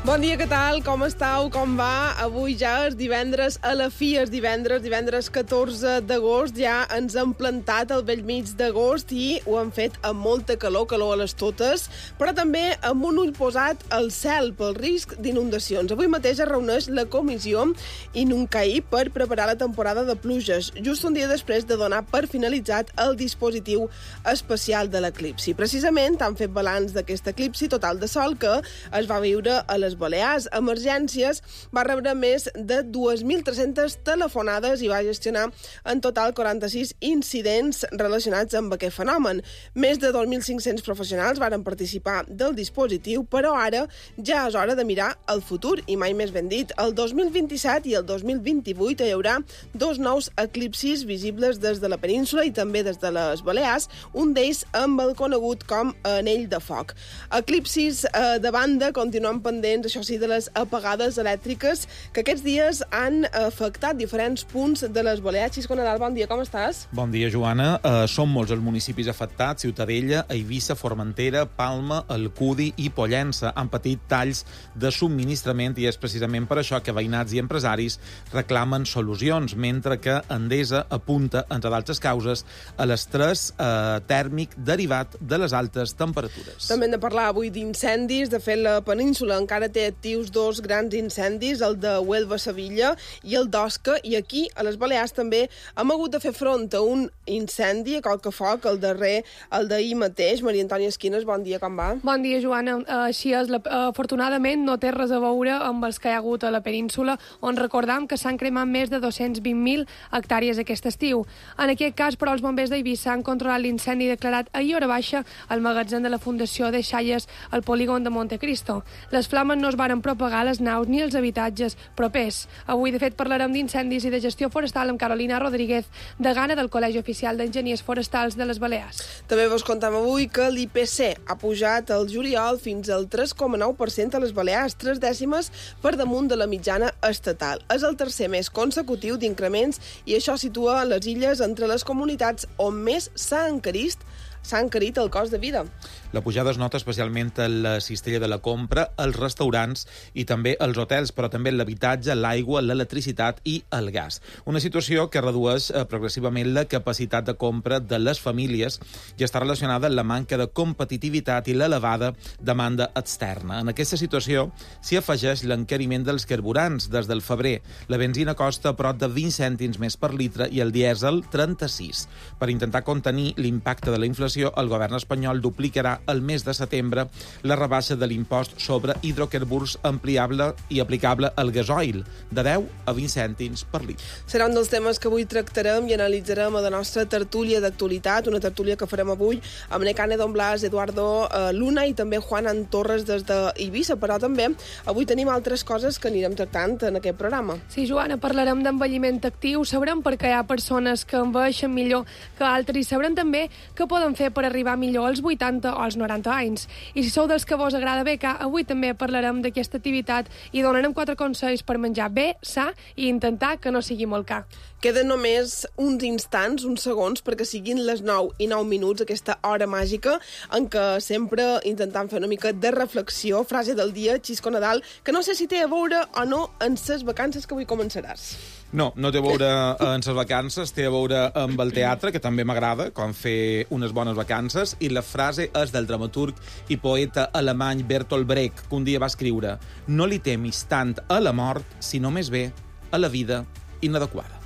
Bon dia, què tal? Com estàu? Com va? Avui ja és divendres, a la fi és divendres 14 d'agost, ja ens hem plantat al bell mig d'agost i ho hem fet amb molta calor a les totes, però també amb un ull posat al cel pel risc d'inundacions. Avui mateix es reuneix la comissió Inuncaí per preparar la temporada de pluges, just un dia després de donar per finalitzat el dispositiu especial de l'eclipsi. Precisament han fet balanç d'aquest eclipsi total de sol que es va viure a les Balears. Emergències va rebre més de 2.300 telefonades i va gestionar en total 46 incidents relacionats amb aquest fenomen. Més de 2.500 professionals varen participar del dispositiu, però ara ja és hora de mirar el futur, i mai més ben dit. El 2027 i el 2028 hi haurà dos nous eclipsis visibles des de la península i també des de les Balears, un d'ells amb el conegut com anell de foc. Eclipsis de banda continuen pendents, això sí, de les apagades elèctriques que aquests dies han afectat diferents punts de les Balears. Xisco Nadal, bon dia, com estàs? Bon dia, Joana. Són molts els municipis afectats: Ciutadella, Eivissa, Formentera, Palma, Alcudi i Pollença. Han patit talls de subministrament i és precisament per això que veïnats i empresaris reclamen solucions, mentre que Endesa apunta, entre d'altres causes, a l'estrès tèrmic derivat de les altes temperatures. També hem de parlar avui d'incendis. De fet, la península encara té actius dos grans incendis, el de Huelva-Sevilla i el d'Osca, i aquí, a les Balears, també hem hagut de fer front a un incendi a Colcafoc, el darrer, el d'ahir mateix. Maria Antònia Esquines, bon dia, com va? Bon dia, Joana. Així és, afortunadament no té res a veure amb els que hi ha hagut a la península, on recordam que s'han cremat més de 220.000 hectàrees aquest estiu. En aquest cas, però, els bombers d'Eivissa han controlat l'incendi declarat ahir hora baixa al magatzem de la Fundació de Xalles al polígon de Montecristo. Les flames no es varen propagar a les naus ni als habitatges propers. Avui, de fet, parlarem d'incendis i de gestió forestal amb Carolina Rodríguez, degana del Col·legi Oficial d'Enginyers Forestals de les Balears. També vos contem avui que l'IPC ha pujat el juliol fins al 3,9% a les Balears, 3 dècimes per damunt de la mitjana estatal. És el tercer mes consecutiu d'increments i això situa les illes entre les comunitats on més s'ha encarit el cost de vida. La pujada es nota especialment a la cistella de la compra, als restaurants i també als hotels, però també l'habitatge, l'aigua, l'electricitat i el gas. Una situació que redueix progressivament la capacitat de compra de les famílies i està relacionada amb la manca de competitivitat i l'elevada demanda externa. En aquesta situació s'hi afegeix l'encariment dels carburants. Des del febrer, la benzina costa prop de 20 cèntims més per litre i el dièsel 36. Per intentar contenir l'impacte de la inflació, el govern espanyol duplicarà el mes de setembre la rebaixa de l'impost sobre hidrocarburs ampliable i aplicable al gasoil, de 10 a 20 cèntims per litre. Serà un dels temes que avui tractarem i analitzarem a la nostra tertúlia d'actualitat, una tertúlia que farem avui amb Necane Don Blas, Eduardo Luna i també Juan Torres des d'Eivissa, però també avui tenim altres coses que anirem tractant en aquest programa. Sí, Joana, parlarem d'envelliment actiu, sabrem per què hi ha persones que envelleixen millor que altres i sabrem també què poden fer per arribar millor als 80 o als 90 anys. I si sou dels que vos agrada becar, avui també parlarem d'aquesta activitat i donarem 4 consells per menjar bé, sa i intentar que no sigui molt car. Queden només uns instants, uns segons, perquè siguin les 9 i 9 minuts, aquesta hora màgica en què sempre intentem fer una mica de reflexió. Frase del dia, Xisco Nadal, que no sé si té a veure o no en ses vacances que avui començaràs. No té a veure en les vacances, té a veure amb el teatre, que també m'agrada, com fer unes bones vacances, i la frase és del dramaturg i poeta alemany Bertolt Brecht, que un dia va escriure: «No li temis tant a la mort, sinó més bé a la vida inadequada».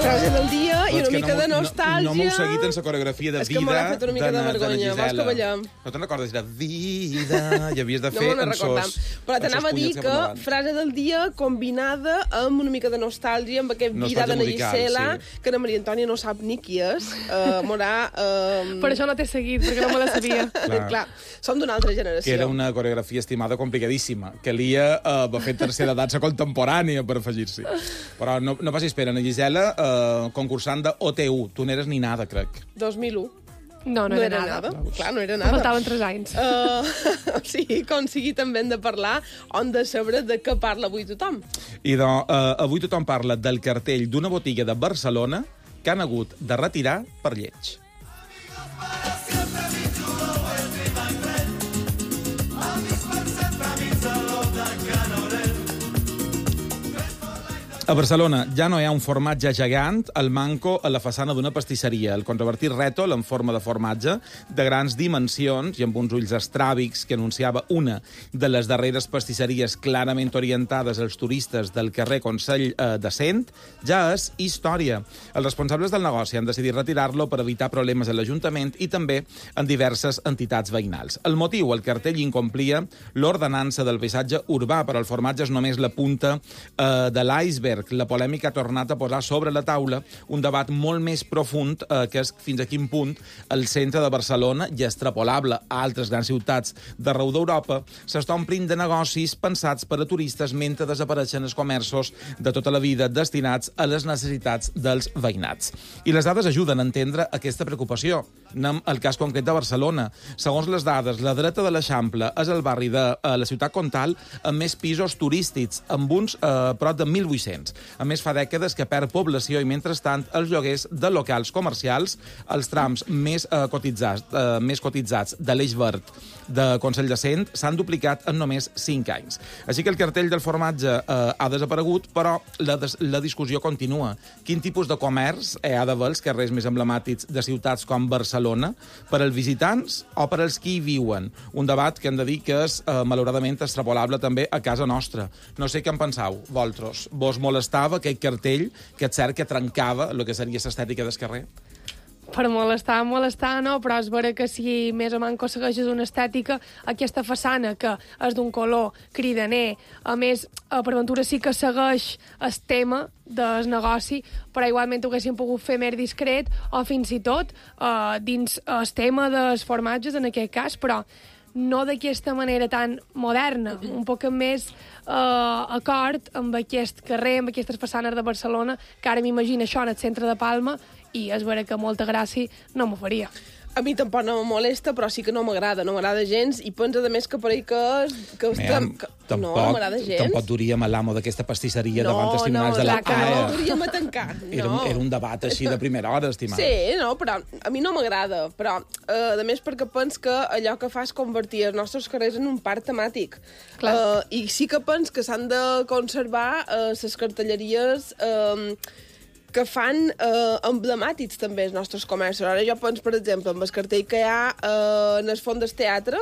Frase del dia i una mica de nostàlgia. No m'heu seguit en la coreografia de Vida. És que m'ha fet una mica de vergonya. Vols que ballem? No te'n recordes? Era Vida i havies de fer en sos... Però t'anava a dir que frase del dia combinada amb una mica de nostàlgia, amb aquest Vida de Gisela, que la Maria Antònia no sap ni qui és. Per això no t'he seguit, perquè no me la sabia. Clar, som d'una altra generació. Que era una coreografia estimada complicadíssima. Calia va fer tercera dansa contemporània per afegir-s'hi. Però no passis pena, Gisela, concursant de OTU. Tu n'eres ni nada, crec. 2001. No era nada. Clar, no era nada. Faltaven 3 anys. Sí, com sigui, també hem de parlar, on de saber de què parla avui tothom. I avui tothom parla del cartell d'una botiga de Barcelona que han hagut de retirar per lleig. A Barcelona ja no hi ha un formatge gegant al manco a la façana d'una pastisseria. El controvertit rètol en forma de formatge de grans dimensions i amb uns ulls estràbics que anunciava una de les darreres pastisseries clarament orientades als turistes del carrer Consell de Cent ja és història. Els responsables del negoci han decidit retirar-lo per evitar problemes a l'Ajuntament i també en diverses entitats veïnals. El motiu, el cartell incomplia l'ordenança del paisatge urbà, però el formatge és només la punta de l'iceberg. La polèmica ha tornat a posar sobre la taula un debat molt més profund que és fins a quin punt el centre de Barcelona, i extrapolable a altres grans ciutats d'arreu d'Europa, s'està omplint de negocis pensats per a turistes mentre desapareixen els comerços de tota la vida destinats a les necessitats dels veïnats. I les dades ajuden a entendre aquesta preocupació. Anem al cas concret de Barcelona. Segons les dades, la dreta de l'Eixample és el barri de la ciutat comtal amb més pisos turístics, amb uns prop de 1.800. A més, fa dècades que perd població i, mentrestant, els lloguers de locals comercials, els trams més cotitzats de l'Eix Verd de Consell de Cent, s'han duplicat en només 5 anys. Així que el cartell del formatge ha desaparegut, però la discussió continua. Quin tipus de comerç hi ha d'haver als carrers més emblemàtics de ciutats com Barcelona per als visitants o per als qui hi viuen? Un debat que hem de dir que és, malauradament, extrapolable també a casa nostra. No sé què en penseu, vosaltres. Vos molestava aquell cartell que és cert que trencava el que seria l'estètica del carrer? Per molestar, no, però és vera que si més o manco segueixes una estètica, aquesta façana que és d'un color cridaner, a més, per ventura sí que segueix el tema del negoci, però igualment ho haguéssim pogut fer més discret, o fins i tot dins el tema dels formatges, en aquest cas, però no d'aquesta manera tan moderna, un poc més acord amb aquest carrer, amb aquestes façanes de Barcelona, que ara m'imagino això en el centre de Palma, i és vera que molta gràcia no m'ho faria. A mi tampoc no me molesta, però sí que no m'agrada gens, i pensa, a més, que per ahí no m'agrada gens. Tampoc duríem a l'amo d'aquesta pastisseria davant testimonials de la AE. No, duríem a tancar. Era un debat així de primera hora, estimat. Sí, no, però a mi no m'agrada, però a més perquè pens que allò que fa és convertir els nostres carrers en un parc temàtic. I sí que pens que s'han de conservar les cartelleries que fan emblemàtics també els nostres comerços. Ara jo penso, per exemple, amb el cartell que hi ha en el Font del Teatre,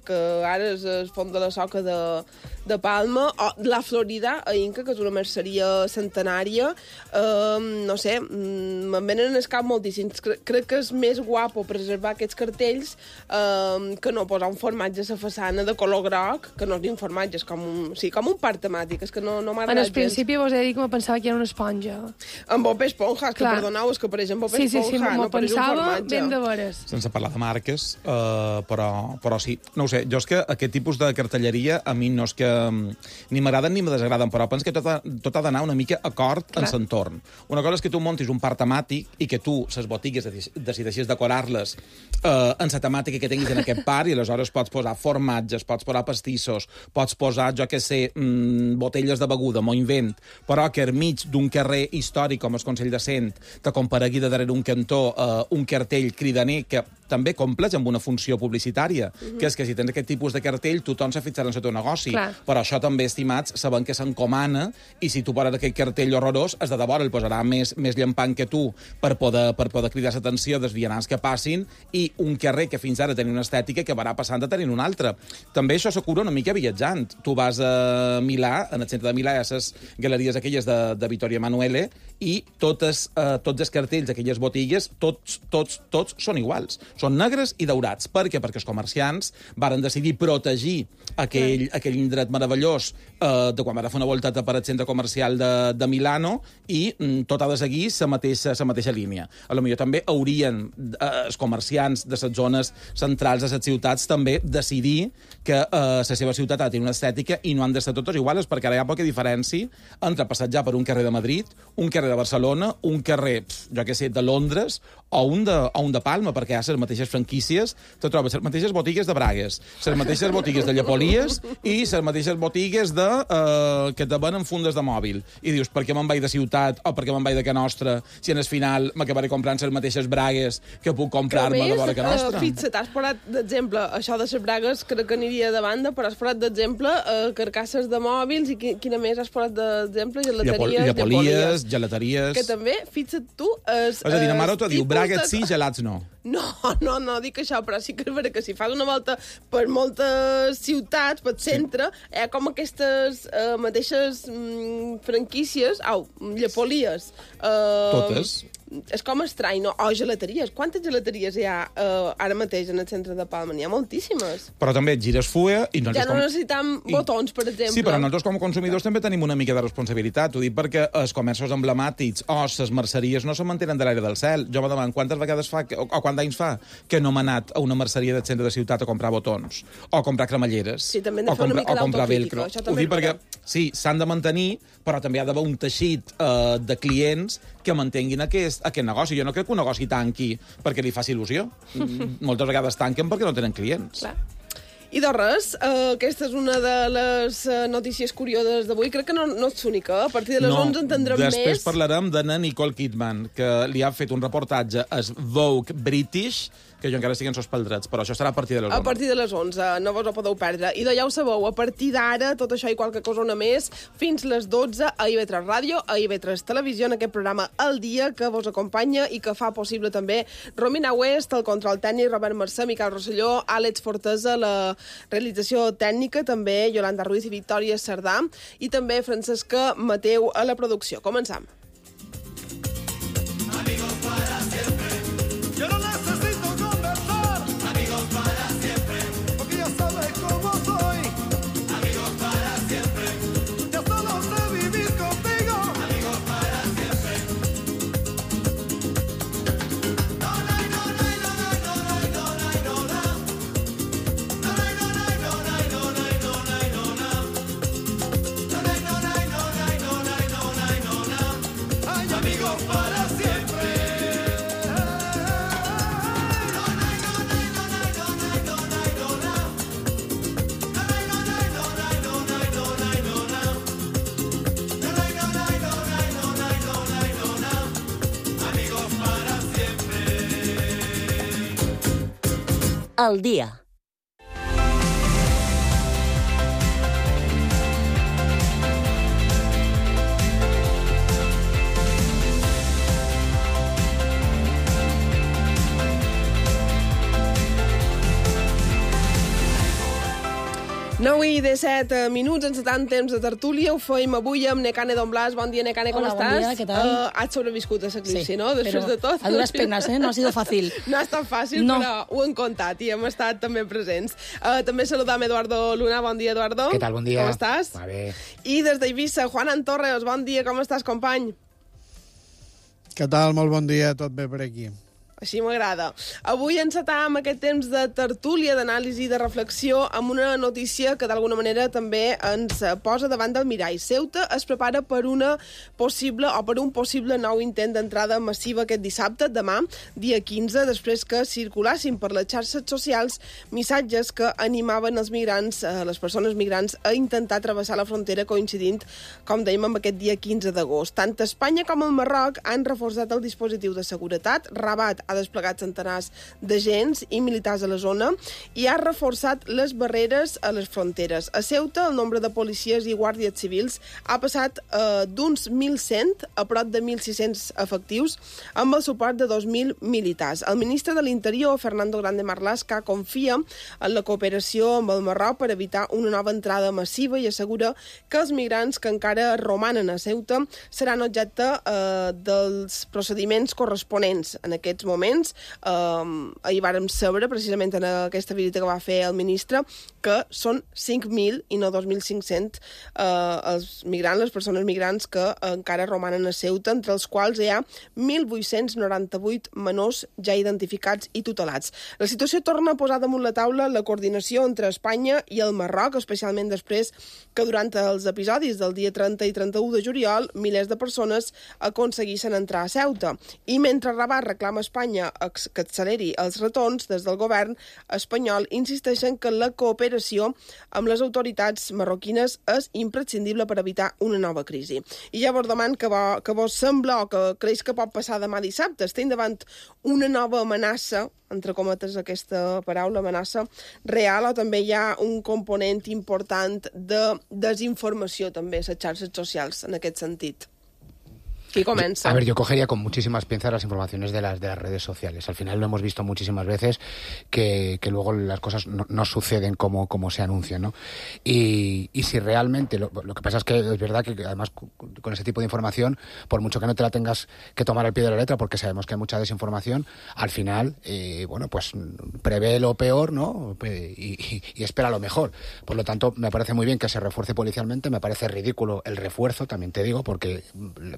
que ara és el Font de la Soca de Palma, o la Florida, a Inca, que és una merceria centenària. No sé, me'n venen al cap moltíssims. Crec que és més guapo preservar aquests cartells que no posar un formatge a la façana de color groc, que no és ni un formatge, és com un parc temàtic, és que no m'agrada gens. En el principi vos he dit que me pensava que era una esponja. En Bob Esponja, que perdoneu, és que apareix en Bob Esponja, sí, no apareix un pensava formatge. ben de veres. Sense parlar de marques, però sí. No ho sé, jo és que aquest tipus de cartelleria a mi no és que ni m'agraden ni me desagraden, però penso que tot ha d'anar una mica acord en l'entorn. Una cosa és que tu montis un parc temàtic i que tu, les botigues, decideixis decorar-les en la temàtica que tinguis en aquest parc, i aleshores pots posar formatges, pots posar pastissos, pots posar, jo què sé, botelles de beguda, m'ho invent, però que enmig d'un carrer històric com el Consell de Cent te comparegui de darrere un cantó un cartell cridaner que també compleix amb una funció publicitària, que és que si tens aquest tipus de cartell, tothom se fixarà en el teu negoci. Però això també, estimats, sabem que s'encomana, i si tu poses aquest cartell horrorós, és de debò, el posarà més llampant que tu per poder cridar l'atenció dels vianants que passin, i un carrer que fins ara tenia una estètica que va passant a tenir una altra. També això s'acura una mica viatjant. Tu vas a Milà, en el centre de Milà, hi ha les galeries aquelles de Vittorio Emanuele, i tots els cartells d'aquelles botigues, tots són iguals. Són negres i daurats. Per què? Perquè els comerciants varen decidir protegir aquell indret meravellós de quan van fer una voltata per al centre comercial de Milano, i tot ha de seguir la mateixa línia. A lo millor també haurien els comerciants de les zones centrals de les ciutats també decidir que la seva ciutat ha de tenir una estètica i no han d'estar totes iguals, perquè ara hi ha poca diferència entre passejar per un carrer de Madrid, un carrer de Barcelona, un carrer, jo què sé, de Londres, o un de Palma, perquè hi ha les mateixes franquícies, te trobes les mateixes botigues de bragues, les mateixes botigues de llepolies i les mateixes botigues que te venen fundes de mòbil. I dius, per què me'n vaig de ciutat o per què me'n vaig de Can Nostra si en el final m'acabaré comprant les mateixes bragues que puc comprar-me de vora Can Nostra? Fixa't, has posat d'exemple, això de les bragues crec que aniria de banda, però has posat d'exemple carcasses de mòbils i quina més has posat d'exemple? Llepolies, gelateries... Que també, fixa't tu... És a dir, la mare t'ho diu, bragues sí, gelats no. No dic això, però sí que és vera que si fas una volta per moltes ciutats, pel centre, hi ha com aquestes mateixes franquícies, llepolies. Totes. És com estrany, no? O gelateries. Quantes gelateries hi ha ara mateix en el centre de Palma? N'hi ha moltíssimes. Però també et gires fulla i... Ja no necessitam botons, per exemple. Sí, però nosaltres com a consumidors també tenim una mica de responsabilitat. Ho dic perquè els comerços emblemàtics o les merceries no se mantenen de l'aire del cel. Jo me demano quantes vegades fa, o quants anys fa, que no m'he anat a una merceria del centre de ciutat a comprar botons, o a comprar cremalleres, sí, també hem de fer una mica d'autocrítica. Ho dic perquè, sí, s'han de mantenir, però també hi ha d'haver un teixit de clients que mantenguin aquest negoci. Jo no crec que un negoci tanqui perquè li faci il·lusió. Moltes vegades tanquen perquè no tenen clients. Clar. I de res, aquesta és una de les notícies curioses d'avui. Crec que no és única. A partir de les 11 entendrem més. Després parlarem de Nicole Kidman, que li ha fet un reportatge a Vogue British, que jo encara estic en sos paldrets, però això serà a partir de les 11. A partir de les 11, no vos ho podeu perdre. I ja ho sabeu, a partir d'ara, tot això i qualque cosa una més, fins les 12 a IB3 Ràdio, a IB3 Televisió, en aquest programa El Dia, que vos acompanya i que fa possible també Romina West, el control tècnic, Robert Mercè, Miquel Rosselló, Àlex Fortesa, la realització tècnica, també Yolanda Ruiz i Victòria Cerdà, i també Francesca Mateu a la producció. Començam. Amigos para siempre. Yo no necesito conversar. Amigos para siempre. Porque ya sabes cómo soy. Amigos para siempre. Ya solo sé vivir contigo. Amigos para siempre. No, no, no, no, no, no, no, no, no, no. Amigos para siempre. El dia. Nou i 17 minuts, encetant temps de tertúlia, ho feim avui amb Nekane Don Blas. Bon dia, Nekane, com estàs? Hola, bon dia, què tal? Has sobreviscut a l'eclipsi, sí, no? Després de tot. A duras penas, no ha sido fácil. No ha estat fàcil, no. Però ho hem contat i hem estat també presents. També saludam Eduardo Luna. Bon dia, Eduardo. Què tal, bon dia. Com estàs? Va bé. I des d'Eivissa, Juan Antorres. Bon dia, com estàs, company? Què tal? Molt bon dia, tot bé per aquí. Així m'agrada. Avui encetam aquest temps de tertúlia, d'anàlisi i de reflexió amb una notícia que d'alguna manera també ens posa davant del mirall. Ceuta es prepara per un possible nou intent d'entrada massiva aquest dissabte, demà, dia 15, després que circulassin per les xarxes socials missatges que animaven els migrants, les persones migrants, a intentar travessar la frontera coincidint, com dèiem, amb aquest dia 15 d'agost. Tant Espanya com el Marroc han reforçat el dispositiu de seguretat. Rabat ha desplegat centenars d'agents i militars a la zona i ha reforçat les barreres a les fronteres. A Ceuta, el nombre de policies i guàrdies civils ha passat d'uns 1.100 a prop de 1.600 efectius, amb el suport de 2.000 militars. El ministre de l'Interior, Fernando Grande Marlaska, confia en la cooperació amb el Marroc per evitar una nova entrada massiva i assegura que els migrants que encara romanen a Ceuta seran objecte dels procediments corresponents en aquests moments moments. Ahir vàrem saber, precisament en aquesta visita que va fer el ministre, que són 5.000 i no 2.500 els migrants, les persones migrants que encara romanen a Ceuta, entre els quals hi ha 1.898 menors ja identificats i tutelats. La situació torna a posar damunt la taula la coordinació entre Espanya i el Marroc, especialment després que durant els episodis del dia 30 i 31 de juliol milers de persones aconseguissin entrar a Ceuta. I mentre Rabat reclama a Espanya que acceleri els retorns, des del govern espanyol insisteixen que la cooperació amb les autoritats marroquines és imprescindible per evitar una nova crisi. I llavors deman que vos sembla o que creus que pot passar demà dissabte. Estem davant una nova amenaça, entre cometes aquesta paraula, amenaça real, o també hi ha un component important de desinformació també a les xarxes socials en aquest sentit? ¿Quién comienza? A ver, yo cogería con muchísimas pinzas las informaciones de las redes sociales. Al final lo hemos visto muchísimas veces que luego las cosas no suceden como se anuncian, ¿no? Y si realmente, lo que pasa es que es verdad que además con ese tipo de información, por mucho que no te la tengas que tomar al pie de la letra, porque sabemos que hay mucha desinformación, al final, pues prevé lo peor, ¿no? Y espera lo mejor. Por lo tanto, me parece muy bien que se refuerce policialmente, me parece ridículo el refuerzo, también te digo, porque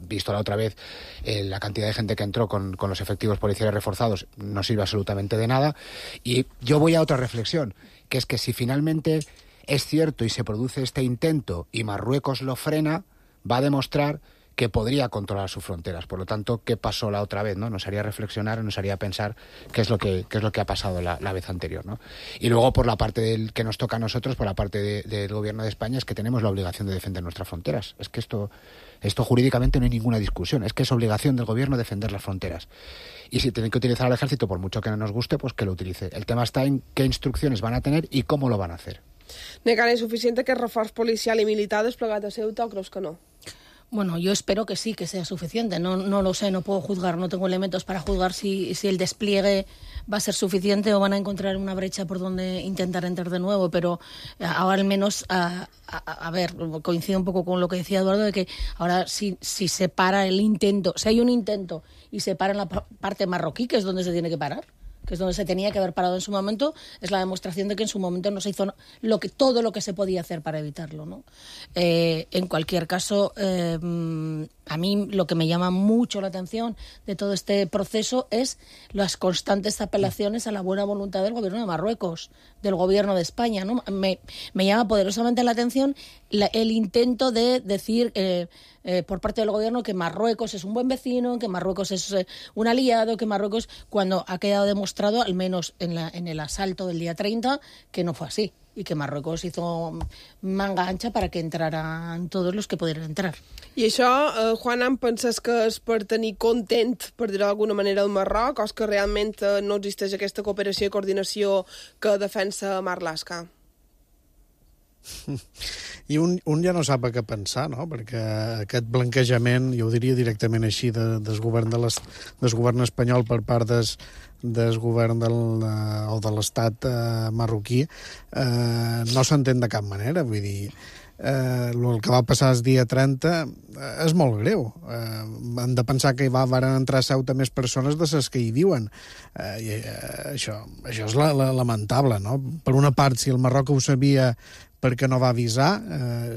visto la otra vez la cantidad de gente que entró con los efectivos policiales reforzados no sirve absolutamente de nada. Y yo voy a otra reflexión, que es que si finalmente es cierto y se produce este intento y Marruecos lo frena, va a demostrar que podría controlar sus fronteras. Por lo tanto, ¿qué pasó la otra vez, no? Nos haría reflexionar, nos haría pensar qué es lo que ha pasado la vez anterior, ¿no? Y luego, por la parte que nos toca a nosotros, por la parte del gobierno de España, es que tenemos la obligación de defender nuestras fronteras. Es que esto jurídicamente no hay ninguna discusión. Es que es obligación del gobierno defender las fronteras. Y si tienen que utilizar al ejército, por mucho que no nos guste, pues que lo utilice. El tema está en qué instrucciones van a tener y cómo lo van a hacer. Negant, ¿es suficiente aquest reforç policial i militar desplegat a Ceuta o creus que no? Bueno, yo espero que sí, que sea suficiente. No lo sé, no puedo juzgar, no tengo elementos para juzgar si el despliegue va a ser suficiente o van a encontrar una brecha por donde intentar entrar de nuevo, pero ahora al menos, a ver, coincido un poco con lo que decía Eduardo, de que ahora si se para el intento, si hay un intento y se para en la parte marroquí, que es donde se tiene que parar, que es donde se tenía que haber parado en su momento, es la demostración de que en su momento no se hizo todo lo que se podía hacer para evitarlo, ¿no? En cualquier caso, a mí lo que me llama mucho la atención de todo este proceso es las constantes apelaciones a la buena voluntad del gobierno de Marruecos, del gobierno de España, ¿no? Me llama poderosamente la atención el intento de decir por parte del gobierno que Marruecos es un buen vecino, que Marruecos es un aliado, que Marruecos, cuando ha quedado demostrado, al menos en el asalto del día 30, que no fue así, y que Marruecos hizo manga ancha para que entraran todos los que pudieran entrar. I això, Juana, em penses que és per tenir content, per dir-ho d'alguna manera, el Marroc, o és que realment no existeix aquesta cooperació i coordinació que defensa Marlaska? I un ja no sap a què pensar, no? Perquè aquest blanquejament, jo ho diria directament així, del govern espanyol per part del govern o de l'estat marroquí, no s'entén de cap manera. Vull dir, el que va passar el dia 30 és molt greu. Hem de pensar que van entrar a Ceuta més persones de les que hi viuen. Això és lamentable, no? Per una part, si el Marroc ho sabia, perquè no va avisar,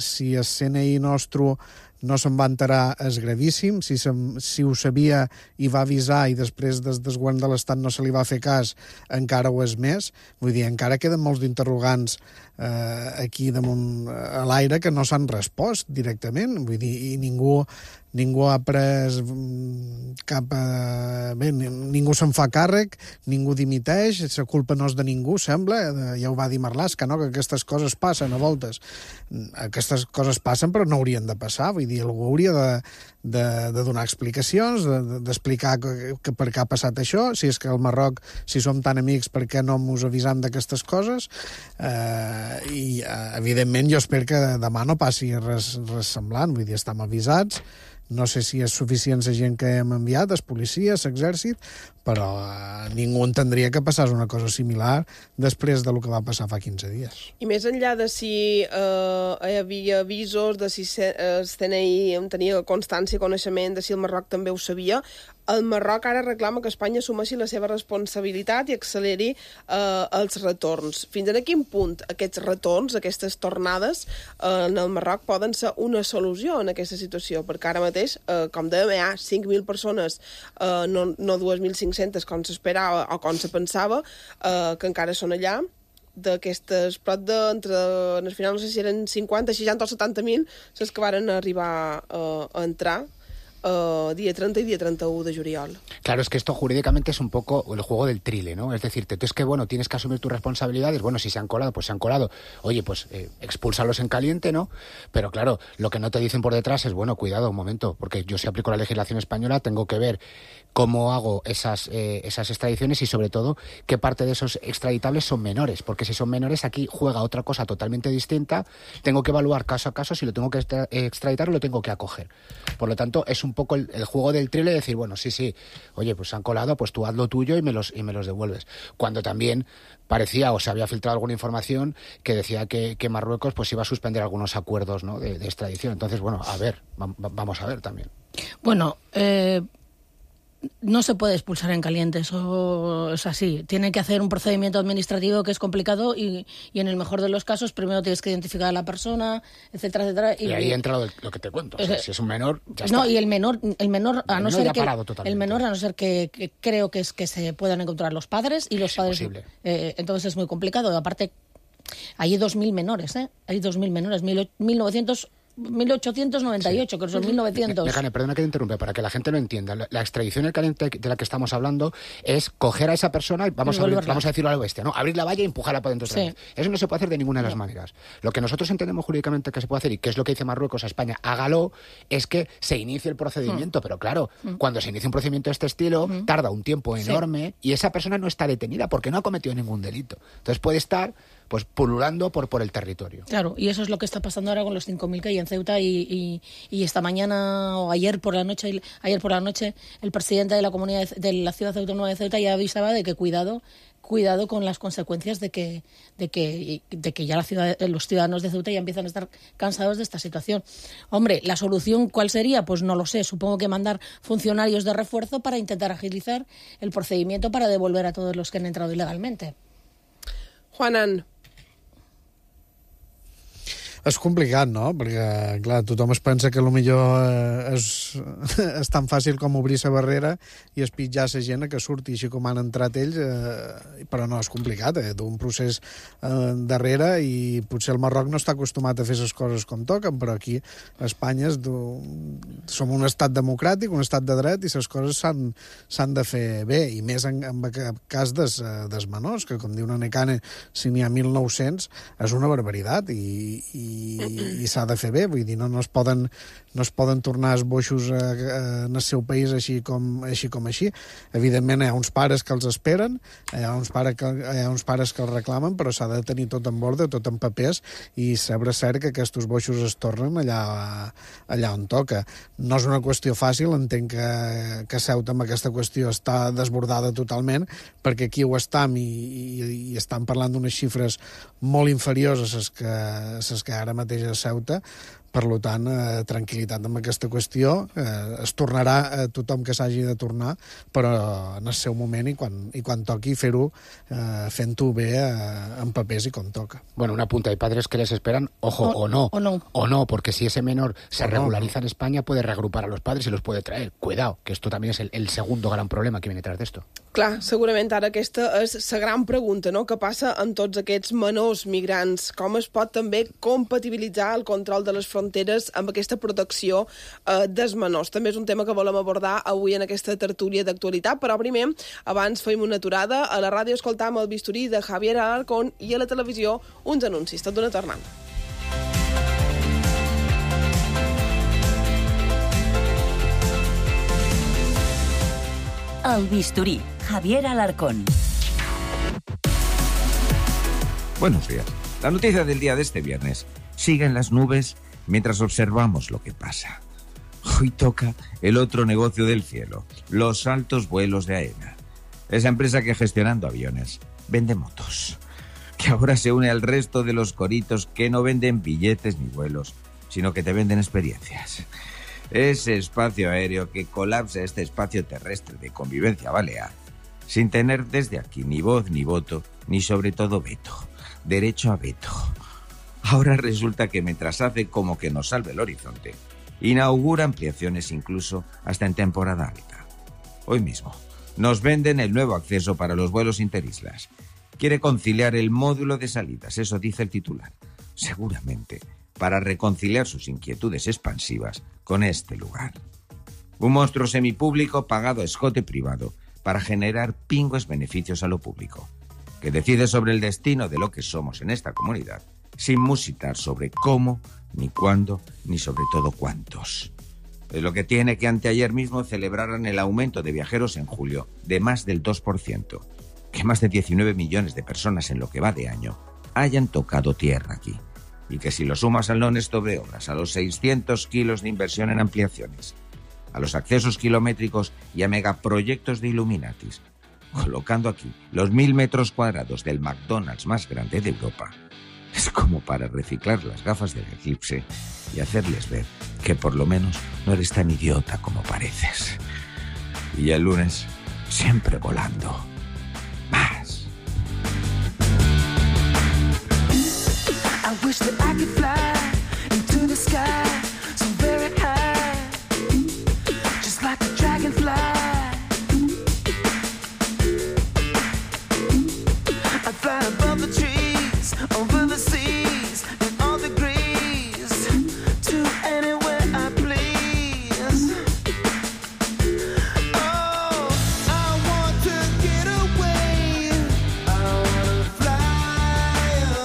si el CNI nostre no se'n va enterar, és gravíssim. Si ho sabia i va avisar i després des del govern de l'Estat no se li va fer cas, encara ho és més. Vull dir, encara queden molts d'interrogants aquí damunt a l'aire que no s'han respost directament. Vull dir, i ningú ha pres cap... Bé, ningú se'n fa càrrec, ningú dimiteix, la culpa no és de ningú, sembla. Ja ho va dir Marlaska, no?, que aquestes coses passen a voltes. Aquestes coses passen, però no haurien de passar. Vull dir, algú hauria de donar explicacions, d'explicar que per què ha passat això, si és que al Marroc, si som tan amics, per què no ens avisam d'aquestes coses? I, evidentment, jo espero que demà no passi res semblant. Vull dir, estem avisats, No sé si és suficient la gent que hem enviat, els policies, l'exèrcit, però ningú entendria que passés una cosa similar després del que va passar fa 15 dies. I més enllà de si hi havia avisos, de si el CNI tenia constància, coneixement, de si el Marroc també ho sabia, el Marroc ara reclama que Espanya assumeixi la seva responsabilitat i acceleri els retorns. Fins a quin punt aquests retorns, aquestes tornades en el Marroc poden ser una solució en aquesta situació? Perquè ara mateix, com dèiem, hi ha 5.000 persones, no 2.500 com s'esperava o com se pensava, que encara són allà, d'aquestes prop al final no sé si eren 50, 60 o 70.000 les que varen arribar a entrar día 30 y día 31 de juliol. Claro, es que esto jurídicamente es un poco el juego del trile, ¿no? Es decir, tú es que, bueno, tienes que asumir tus responsabilidades. Bueno, si se han colado, pues se han colado. Oye, pues expúlsalos en caliente, ¿no? Pero claro, lo que no te dicen por detrás es, bueno, cuidado, un momento, porque yo si aplico la legislación española tengo que ver cómo hago esas extradiciones y, sobre todo, qué parte de esos extraditables son menores. Porque si son menores, aquí juega otra cosa totalmente distinta. Tengo que evaluar caso a caso si lo tengo que extraditar o lo tengo que acoger. Por lo tanto, es un poco el juego del trile de decir, bueno, sí, oye, pues se han colado, pues tú haz lo tuyo y me los devuelves. Cuando también parecía o se había filtrado alguna información que decía que Marruecos pues iba a suspender algunos acuerdos, ¿no?, de extradición. Entonces, bueno, a ver, vamos a ver también. Bueno, no se puede expulsar en caliente, eso es así. Tiene que hacer un procedimiento administrativo que es complicado y en el mejor de los casos primero tienes que identificar a la persona, etcétera, etcétera. Y ahí entra lo que te cuento. O sea, si es un menor, ya está. No, y el menor a no ser que creo que es que se puedan encontrar los padres y los padres. Entonces es muy complicado. Aparte, hay 2.000 menores, Hay 2.000 menores, 1898, que son 1900. Mejane, perdona que te interrumpa, para que la gente lo entienda. La extradición en caliente de la que estamos hablando es coger a esa persona y vamos a decirlo a la bestia, ¿no? Abrir la valla y empujarla para dentro otra vez. Eso no se puede hacer de ninguna de las maneras. Lo que nosotros entendemos jurídicamente que se puede hacer, y que es lo que dice Marruecos a España, hágalo, es que se inicie el procedimiento. Pero claro, cuando se inicia un procedimiento de este estilo, tarda un tiempo enorme y esa persona no está detenida porque no ha cometido ningún delito. Entonces puede estar pues pululando por el territorio. Claro, y eso es lo que está pasando ahora con los 5.000 que hay en Ceuta y esta mañana o ayer por la noche el presidente de la comunidad de la ciudad autónoma de Ceuta ya avisaba de que cuidado con las consecuencias de que ya los ciudadanos de Ceuta ya empiezan a estar cansados de esta situación. Hombre, ¿la solución cuál sería? Pues no lo sé. Supongo que mandar funcionarios de refuerzo para intentar agilizar el procedimiento para devolver a todos los que han entrado ilegalmente. Juanan. És complicat, no? Perquè, clar, tothom es pensa que potser és tan fàcil com obrir la barrera i espitjar la gent que surti així com han entrat ells, però no, és complicat, d'un procés darrere, i potser el Marroc no està acostumat a fer les coses com toquen, però aquí a Espanya som un estat democràtic, un estat de dret, i les coses s'han de fer bé, i més en cas dels menors, que com diu Nekane, si n'hi ha 1.900, és una barbaritat, i s'ha de fer bé, vull dir, no es poden tornar els boixos en el seu país així com així. Evidentment hi ha uns pares que els esperen, hi ha uns pares que els reclamen, però s'ha de tenir tot en ordre, tot en papers, i saber cert que aquests boixos es tornen allà on toca. No és una qüestió fàcil, entenc que Ceuta amb aquesta qüestió està desbordada totalment, perquè aquí ho estam i estan parlant d'unes xifres molt inferiors a les que ara mateix a Ceuta. Per tant, tranquil·litat amb aquesta qüestió. Es tornarà tothom que s'hagi de tornar, però en el seu moment i quan toqui fer-ho, fent-ho bé en papers i com toca. Bueno, una punta. Hay padres que les esperan, ojo, o no, porque si ese menor se regulariza en España, puede reagrupar a los padres y los puede traer. Cuidado, que esto también es el segundo gran problema que viene tras de esto. Clar, segurament ara aquesta és la gran pregunta, no? Què passa amb tots aquests menors migrants? Com es pot també compatibilitzar el control de les fronteres amb aquesta protecció dels menors? També és un tema que volem abordar avui en aquesta tertúlia d'actualitat, però primer, abans fem una aturada. A la ràdio escoltam el bisturí de Javier Alarcón i a la televisió uns anuncis. Tot d'una tornada. El bisturí, Javier Alarcón. Buenos días. La noticia del día de este viernes. Siguen las nubes mientras observamos lo que pasa. Hoy toca el otro negocio del cielo, los altos vuelos de AENA. Esa empresa que gestionando aviones vende motos, que ahora se une al resto de los coritos que no venden billetes ni vuelos, sino que te venden experiencias. Ese espacio aéreo que colapsa este espacio terrestre de convivencia balear, sin tener desde aquí ni voz ni voto, ni sobre todo veto, derecho a veto. Ahora resulta que mientras hace como que nos salve el horizonte, inaugura ampliaciones incluso hasta en temporada alta. Hoy mismo nos venden el nuevo acceso para los vuelos interislas. Quiere conciliar el módulo de salidas, eso dice el titular. Seguramente para reconciliar sus inquietudes expansivas con este lugar. Un monstruo semipúblico pagado a escote privado para generar pingües beneficios a lo público, que decide sobre el destino de lo que somos en esta comunidad, sin musitar sobre cómo, ni cuándo, ni sobre todo cuántos. Es lo que tiene que anteayer mismo celebraran el aumento de viajeros en julio de más del 2%, que más de 19 millones de personas en lo que va de año hayan tocado tierra aquí. Y que si lo sumas al non-stop de obras, a los 600 kilos de inversión en ampliaciones, a los accesos kilométricos y a megaproyectos de Illuminatis, colocando aquí los 1000 metros cuadrados del McDonald's más grande de Europa, es como para reciclar las gafas del eclipse y hacerles ver que por lo menos no eres tan idiota como pareces. Y ya el lunes, siempre volando. Más. I wish that I could fly into the sky so very high, just like a dragonfly. I'd fly above the trees, over the seas, in all degrees, to anywhere I please. Oh, I want to get away, I want to fly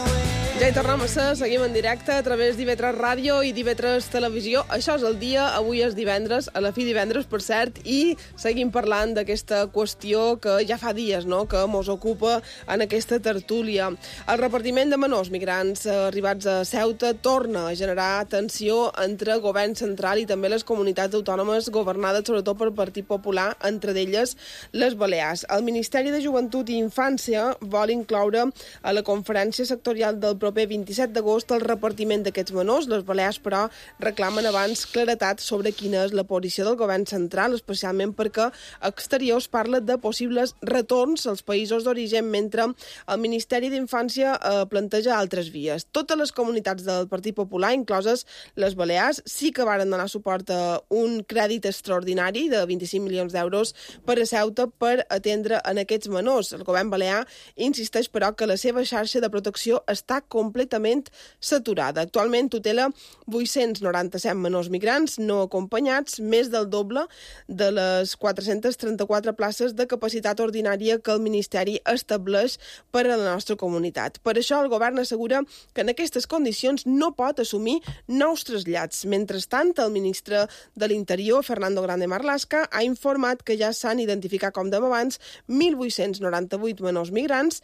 away. Ja hi tornem a ser, seguim en directe a través d'IV3 Ràdio i d'IV3 Televisió. Això és el dia, avui és divendres, a la fi divendres, per cert, i seguim parlant d'aquesta qüestió que ja fa dies, no?, que mos ocupa en aquesta tertúlia. El repartiment de menors migrants arribats a Ceuta torna a generar tensió entre govern central i també les comunitats autònomes governades sobretot per Partit Popular, entre d'elles les Balears. El Ministeri de Joventut i Infància vol incloure a la conferència sectorial del proper 27 d'agost el repartiment d'aquests menors. Les Balears, però, reclamen abans claretat sobre quina és la posició del govern central, especialment perquè Exteriors parla de possibles retorns als països d'origen, mentre el Ministeri d'Infància planteja altres vies. Totes les comunitats del Partit Popular, incloses les Balears, sí que varen donar suport a un crèdit extraordinari de 25 milions d'euros per a Ceuta per atendre en aquests menors. El govern balear insisteix, però, que la seva xarxa de protecció està completament saturada. Actualment tutela 897 menors migrants no acompanyats, més del doble de les 434 places de capacitat ordinària que el Ministeri estableix per a la nostra comunitat. Per això el govern assegura que en aquestes condicions no pot assumir nous trasllats. Mentrestant, el ministre de l'Interior, Fernando Grande Marlaska, ha informat que ja s'han identificat, com dèiem abans, 1.898 menors migrants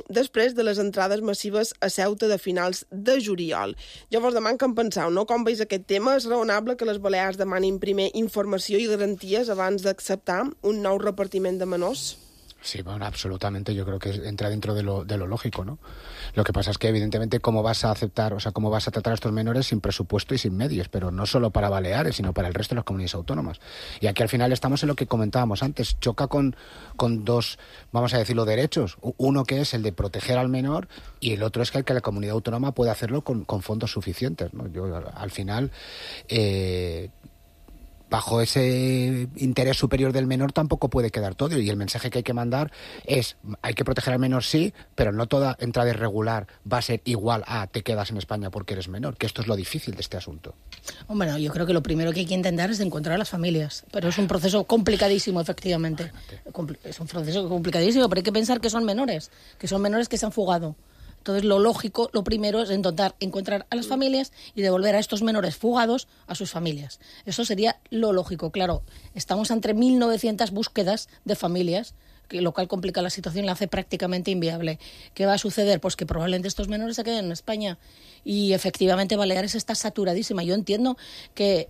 després de les entrades massives a Ceuta de finals de juliol. Jo vos deman que en penseu, no? Com veus aquest tema? És raonable que les Balears demanin primer informació i garanties abans d'acceptar un nou repartiment de menors? Sí, bueno, absolutamente. Yo creo que entra dentro de lo lógico, ¿no? Lo que pasa es que, evidentemente, cómo vas a aceptar, o sea, cómo vas a tratar a estos menores sin presupuesto y sin medios, pero no solo para Baleares, sino para el resto de las comunidades autónomas. Y aquí, al final, estamos en lo que comentábamos antes. Choca con dos, vamos a decirlo, derechos. Uno que es el de proteger al menor y el otro es que la comunidad autónoma puede hacerlo con fondos suficientes, ¿no? Yo, al final... bajo ese interés superior del menor tampoco puede quedar todo, y el mensaje que hay que mandar es: hay que proteger al menor, sí, pero no toda entrada irregular va a ser igual a te quedas en España porque eres menor, que esto es lo difícil de este asunto. Hombre, no, yo creo que lo primero que hay que intentar es encontrar a las familias, pero es un proceso complicadísimo, efectivamente. Es un proceso complicadísimo, pero hay que pensar que son menores que se han fugado. Entonces, lo lógico, lo primero es intentar encontrar a las familias y devolver a estos menores fugados a sus familias. Eso sería lo lógico. Claro, estamos entre 1.900 búsquedas de familias lo cual complica la situación y la hace prácticamente inviable. ¿Qué va a suceder? Pues que probablemente estos menores se queden en España. Y efectivamente Baleares está saturadísima. Yo entiendo que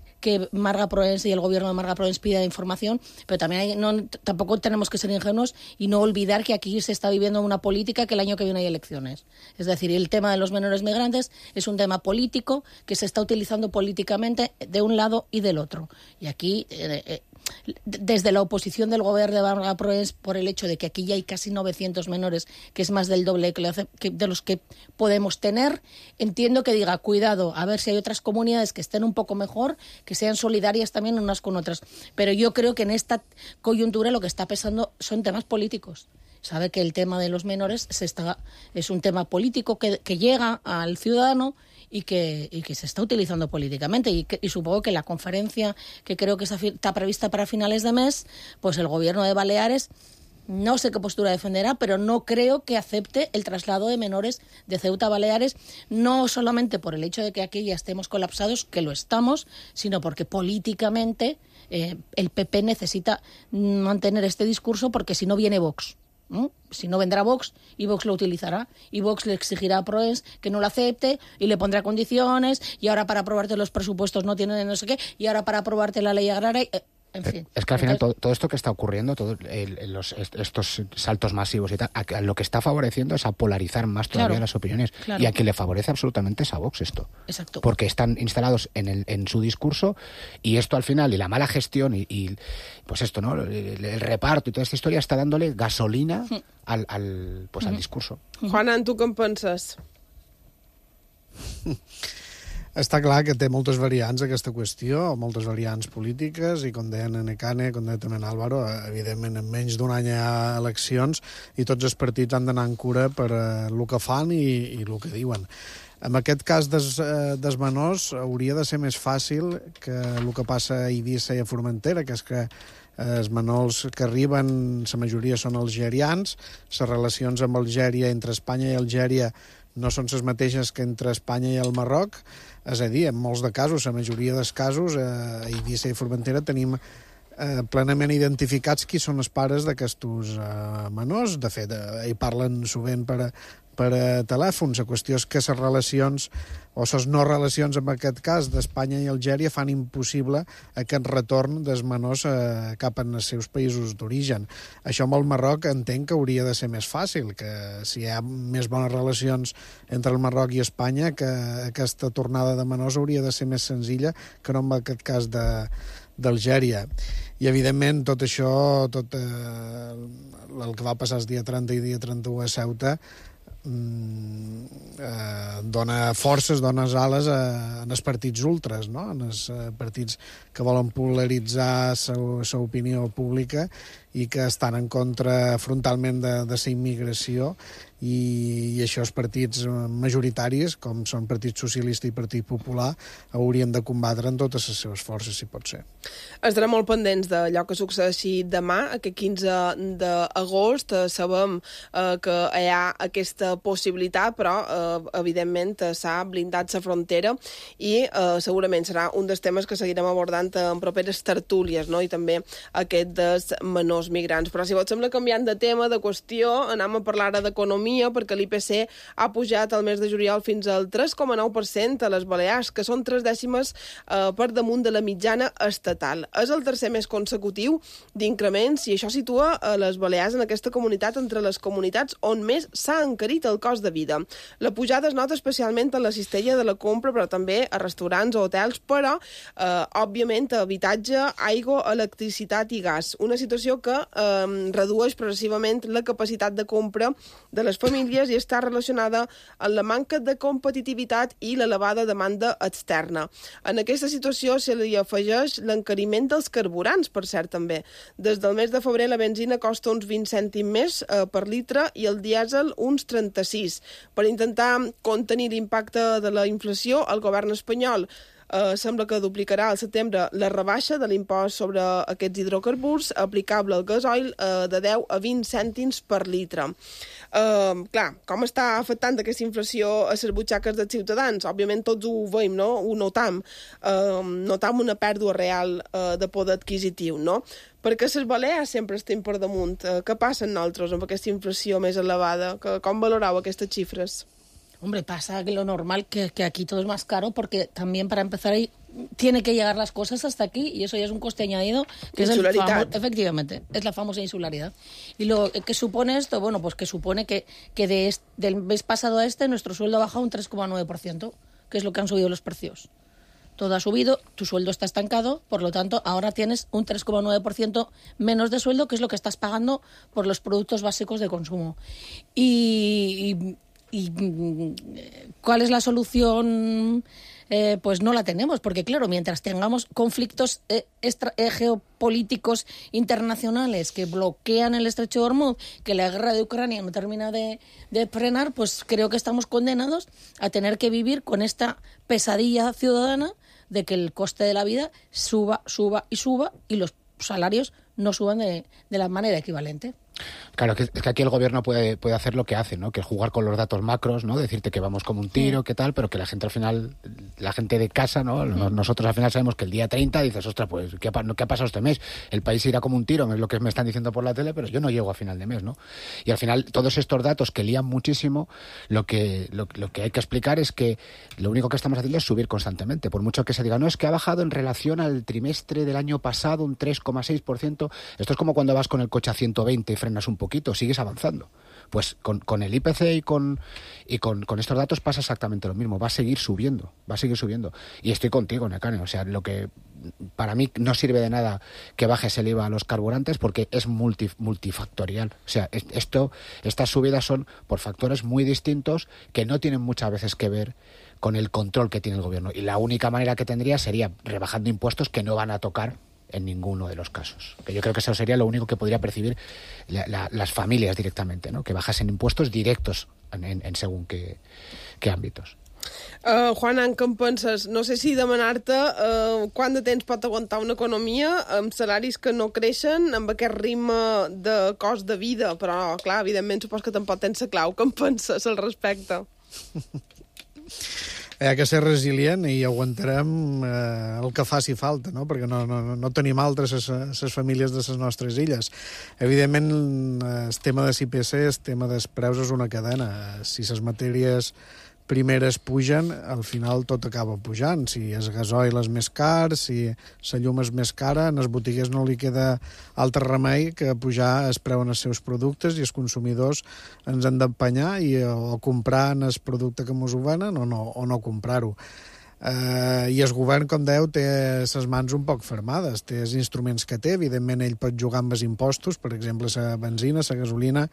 Marga Proens y el gobierno de Marga Proens pida información, pero también tampoco tenemos que ser ingenuos y no olvidar que aquí se está viviendo una política que el año que viene hay elecciones. Es decir, el tema de los menores migrantes es un tema político que se está utilizando políticamente de un lado y del otro. Y aquí, desde la oposición del gobierno de Marga Proens, por el hecho de que aquí ya hay casi 900 menores, que es más del doble de los que podemos tener, entiendo que diga, cuidado, a ver si hay otras comunidades que estén un poco mejor, que sean solidarias también unas con otras. Pero yo creo que en esta coyuntura lo que está pesando son temas políticos. Sabe que el tema de los menores es un tema político que llega al ciudadano y que se está utilizando políticamente. Y supongo que la conferencia, que creo que está prevista para finales de mes, pues el gobierno de Baleares, no sé qué postura defenderá, pero no creo que acepte el traslado de menores de Ceuta a Baleares, no solamente por el hecho de que aquí ya estemos colapsados, que lo estamos, sino porque políticamente el PP necesita mantener este discurso, porque si no viene Vox. Si no vendrá Vox, y Vox lo utilizará, y Vox le exigirá a Proens que no lo acepte y le pondrá condiciones, y ahora para aprobarte los presupuestos no tiene no sé qué, y ahora para aprobarte la ley agraria, en fin. Es que al final todo esto que está ocurriendo, estos saltos masivos y tal, lo que está favoreciendo es a polarizar más todavía las opiniones. Claro. Y a quien le favorece absolutamente es a Vox esto. Exacto. Porque están instalados en su discurso, y esto al final, y la mala gestión y pues esto, ¿no? El reparto y toda esta historia está dándole gasolina al discurso. Juana, tu què en penses? Està clar que té moltes variants aquesta qüestió, moltes variants polítiques, i com deien en Ecane, com deia també en Álvaro, evidentment en menys d'un any hi ha eleccions i tots els partits han d'anar en cura per el que fan i el que diuen. En aquest cas dels menors hauria de ser més fàcil que el que passa a Eivissa i a Formentera, que és que els menors que arriben, la majoria són algerians, les relacions amb Algèria, entre Espanya i Algèria, no són les mateixes que entre Espanya i el Marroc. És a dir, en molts de casos, la majoria dels casos, a Eivissa i Formentera tenim plenament identificats qui són els pares d'aquests menors. De fet, hi parlen sovint per telèfon. La qüestió és que les relacions, o les no relacions en aquest cas d'Espanya i Algèria, fan impossible aquest retorn dels menors cap als seus països d'origen. Això amb el Marroc entenc que hauria de ser més fàcil, que si hi ha més bones relacions entre el Marroc i Espanya, que aquesta tornada de menors hauria de ser més senzilla que no en aquest cas d'Algèria. I, evidentment, tot això, tot el que va passar el dia 30 i dia 31 a Ceuta, dona forces, dona ales en els partits ultras, no? En els partits que volen polaritzar la opinió pública i que estan en contra frontalment de la immigració, i això els partits majoritaris, com són Partit Socialista i Partit Popular, haurien de combatre en totes les seves forces, si pot ser. Estarem molt pendents d'allò que succeeixi demà, aquest 15 d'agost. Sabem que hi ha aquesta possibilitat, però evidentment s'ha blindat la frontera i segurament serà un dels temes que seguirem abordant en properes tertúlies, no? I també aquest dels menors migrants. Però si vos sembla, canviant de tema, de qüestió, anem a parlar ara d'economia, perquè l'IPC ha pujat al mes de juliol fins al 3,9% a les Balears, que són 3 dècimes per damunt de la mitjana estatal. És el tercer mes consecutiu d'increments, i això situa a les Balears en aquesta comunitat entre les comunitats on més s'ha encarit el cost de vida. La pujada es nota especialment a la cistella de la compra, però també a restaurants o hotels, però, òbviament, a habitatge, aigua, electricitat i gas. Una situació que redueix progressivament la capacitat de compra de les famílies i està relacionada amb la manca de competitivitat i l'elevada demanda externa. En aquesta situació se li afegeix l'encariment dels carburants, per cert, també. Des del mes de febrer la benzina costa uns 20 cèntims més per litre i el dièsel uns 36. Per intentar contenir l'impacte de la inflació, el govern espanyol sembla que duplicarà al setembre la rebaixa de l'impost sobre aquests hidrocarburs aplicable al gasoil de 10 a 20 cèntims per litre. Clar, com està afectant aquesta inflació a les butxaques dels ciutadans? Òbviament tots ho veiem, no? Ho notam. Notam una pèrdua real de poder adquisitiu, no? Perquè les Balears sempre estem per damunt. Què passa amb nosaltres amb aquesta inflació més elevada? Com valoreu aquestes xifres? Hombre, pasa que lo normal que aquí todo es más caro porque también para empezar ahí tiene que llegar las cosas hasta aquí y eso ya es un coste añadido que efectivamente, es la famosa insularidad. Y lo que supone esto, bueno, pues que supone que del mes pasado a nuestro sueldo ha bajado un 3,9%, que es lo que han subido los precios. Todo ha subido, tu sueldo está estancado, por lo tanto, ahora tienes un 3,9% menos de sueldo, que es lo que estás pagando por los productos básicos de consumo. ¿Y cuál es la solución? Pues no la tenemos, porque claro, mientras tengamos conflictos geopolíticos internacionales que bloquean el estrecho de Hormuz, que la guerra de Ucrania no termina de frenar, pues creo que estamos condenados a tener que vivir con esta pesadilla ciudadana de que el coste de la vida suba y los salarios no suban de la manera equivalente. Claro, es que aquí el gobierno puede hacer lo que hace, ¿no? Que es jugar con los datos macros, ¿no? Decirte que vamos como un tiro, qué tal, pero que la gente al final, la gente de casa, ¿no? Nosotros al final sabemos que el día 30 dices, ostras, pues, ¿qué ha pasado este mes? El país irá como un tiro, es lo que me están diciendo por la tele, pero yo no llego a final de mes, ¿no? Y al final, todos estos datos que lían muchísimo, lo que hay que explicar es que lo único que estamos haciendo es subir constantemente. Por mucho que se diga, no, es que ha bajado en relación al trimestre del año pasado un 3,6%. Esto es como cuando vas con el coche a 120 y frenas un poquito, sigues avanzando. Pues con el IPC y con estos datos pasa exactamente lo mismo, va a seguir subiendo. Y estoy contigo, Nekane, o sea, lo que para mí no sirve de nada que bajes el IVA a los carburantes porque es multifactorial. O sea, estas subidas son por factores muy distintos que no tienen muchas veces que ver con el control que tiene el gobierno. Y la única manera que tendría sería rebajando impuestos que no van a tocar en ninguno de los casos. Que yo creo que eso sería lo único que podría percibir las familias directamente, ¿no? Que bajasen impuestos directos en según qué ámbitos. Juan, què en penses? No sé si demanar-te quant de temps pot aguantar una economia amb salaris que no creixen, amb aquest ritme de cost de vida, però, clar, evidentment, supos que tampoc tens la clau. Què en penses al respecte? Hi ha que ser resilient i aguantarem el que faci falta, no? Perquè no tenim altres les famílies de les nostres illes. Evidentment, el tema de l'IPC, el tema dels preus és una cadena. Si les matèries primeres pugen, al final tot acaba pujant. Si el gasoil és més car, si la llum és més cara, en els botiguers no li queda altre remei que pujar el preu en els seus productes i els consumidors ens han d'empenyar o comprar en el producte que ens ho venen o no comprar-ho. I el govern, com dèieu, té les mans un poc fermades, té els instruments que té, evidentment ell pot jugar amb els impostos, per exemple, la benzina, la gasolina,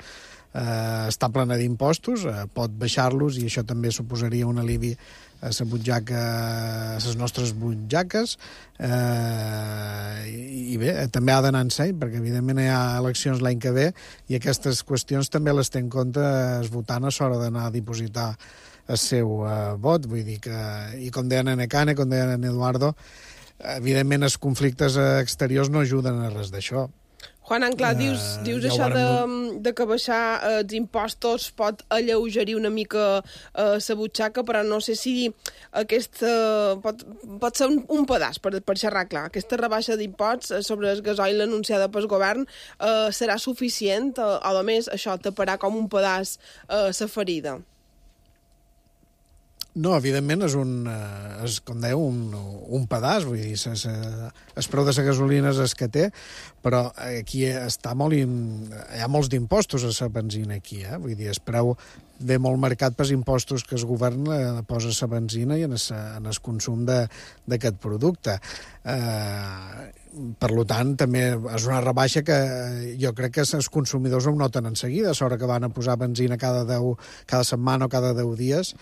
està plena d'impostos, pot baixar-los i això també suposaria un alivi a la butxaca, a les nostres butxaques, i bé, també ha d'anar en seny, perquè evidentment hi ha eleccions l'any que ve i aquestes qüestions també les té en compte el votant a l'hora d'anar a dipositar el seu vot, vull dir que, i com deien en Nekane, com deien en Eduardo, evidentment els conflictes exteriors no ajuden a res d'això. Juan, clar, dius això de que baixar els impostos pot alleugerir una mica la butxaca, però no sé si aquesta pot ser un pedaç, per xerrar clar. Aquesta rebaixa d'imposts sobre el gasoil anunciada pel govern serà suficient o, a més, això taparà com un pedaç la ferida? No, evidentment és com dèieu, un pedaç, vull dir, el preu de la gasolina és el que té, però aquí hi ha molts d'impostos a la benzina aquí, vull dir, el preu ve molt marcat pels impostos que el govern posa a la benzina i en el consum d'aquest producte. Per tant, també és una rebaixa que jo crec que els consumidors ho noten en seguida, a l'hora que van a posar benzina cada setmana o cada 10 dies,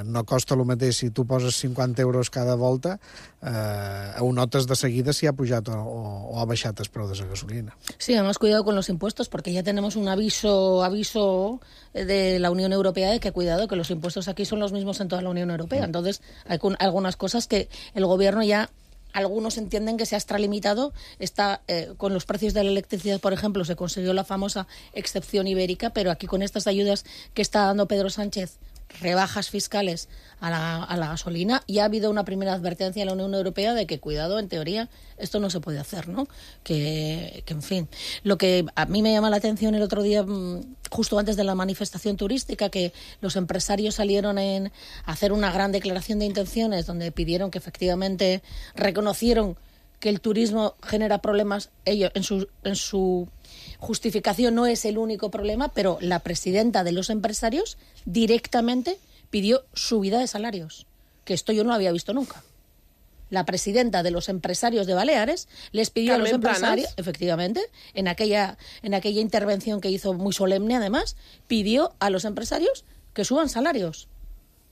no costa el mateix si tu poses 50 euros cada volta, ho notes de seguida si ha pujat o ha baixat el preu de la gasolina. Sí, además cuidado con los impuestos, porque ya tenemos un aviso de la Unión Unión Europea de que cuidado, que los impuestos aquí son los mismos en toda la Unión Europea. Entonces, hay algunas cosas que el gobierno ya... Algunos entienden que se ha extralimitado. Con los precios de la electricidad, por ejemplo, se consiguió la famosa excepción ibérica, pero aquí con estas ayudas que está dando Pedro Sánchez, rebajas fiscales a la gasolina, ya ha habido una primera advertencia en la Unión Europea de que, cuidado, en teoría, esto no se puede hacer, ¿no? Que en fin, lo que a mí me llama la atención el otro día, justo antes de la manifestación turística, que los empresarios salieron a hacer una gran declaración de intenciones donde pidieron que efectivamente reconocieron que el turismo genera problemas. Ellos, en su justificación, no es el único problema, pero la presidenta de los empresarios directamente pidió subida de salarios, que esto yo no lo había visto nunca. La presidenta de los empresarios de Baleares les pidió a los empresarios, efectivamente, en aquella intervención que hizo muy solemne, además, pidió a los empresarios que suban salarios.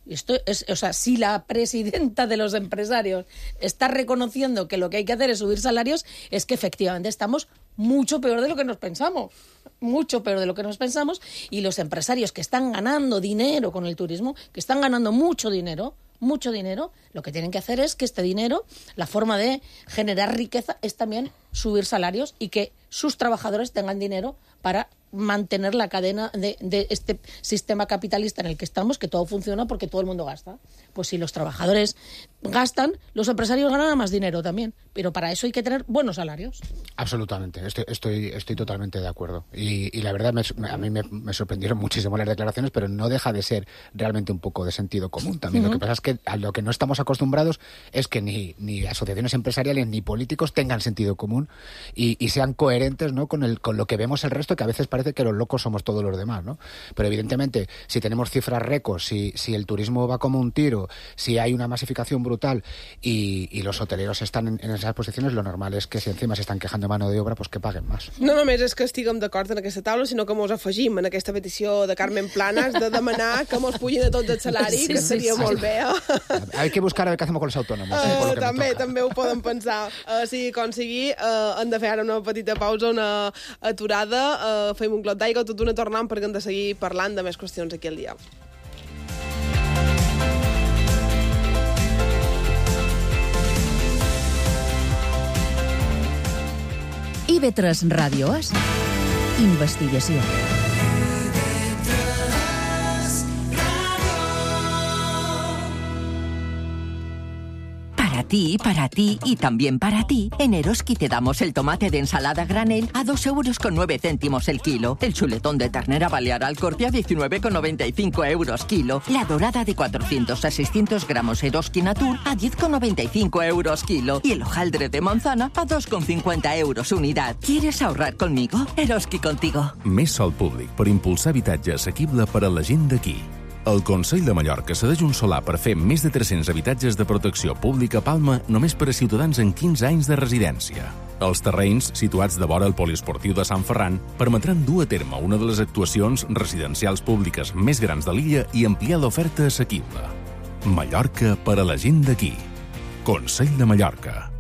Esto es, o sea, si la presidenta de los empresarios está reconociendo que lo que hay que hacer es subir salarios, es que efectivamente estamos mucho peor de lo que nos pensamos. Mucho peor de lo que nos pensamos. Y los empresarios que están ganando dinero con el turismo, que están ganando mucho dinero, lo que tienen que hacer es que este dinero, la forma de generar riqueza es también subir salarios y que sus trabajadores tengan dinero para mantener la cadena de este sistema capitalista en el que estamos, que todo funciona porque todo el mundo gasta. Pues si los trabajadores gastan, los empresarios ganan más dinero también, pero para eso hay que tener buenos salarios. Absolutamente, estoy totalmente de acuerdo. Y la verdad, a mí me sorprendieron muchísimo las declaraciones, pero no deja de ser realmente un poco de sentido común también. Lo que pasa es que a lo que no estamos acostumbrados es que ni asociaciones empresariales ni políticos tengan sentido común y sean coherentes, ¿no?, con lo que vemos el resto, que a veces parece que los locos somos todos los demás, ¿no? Pero evidentemente, si tenemos cifras récords, si el turismo va como un tiro, si hay una masificación brutal y los hoteleros están en esas posiciones, lo normal és que si encima s'estan quejando de mano de obra, pues que paguen más. No només és que estiguem d'acord en aquesta taula, sinó que mos afegim en aquesta petició de Carmen Planas de demanar que mos pugin a tots el salari, que seria molt bé. Hay que buscar a ver qué hacemos con los autónomos. També ho poden pensar. Sigui com sigui, hem de fer ara una petita pausa, una aturada, fem un clot d'aigua, tot una tornant perquè hem de seguir parlant de més qüestions aquí al dia. IB3 Ràdio és investigació. Para ti y también para ti, en Eroski te damos el tomate de ensalada granel a 2,09 € el kilo, el chuletón de ternera balear al corte a 19,95 € kilo, la dorada de 400 a 600 gramos Eroski Natur a 10,95 € kilo y el hojaldre de manzana a 2,50 € unidad. ¿Quieres ahorrar conmigo? Eroski contigo. Més sòl públic per impulsar habitatge assequible per a la gent d'aquí. El Consell de Mallorca cedeix un solar per fer més de 300 habitatges de protecció pública a Palma només per a ciutadans amb 15 anys de residència. Els terrenys, situats de vora el poliesportiu de Sant Ferran, permetran dur a terme una de les actuacions residencials públiques més grans de l'illa i ampliar l'oferta assequible. Mallorca per a la gent d'aquí. Consell de Mallorca.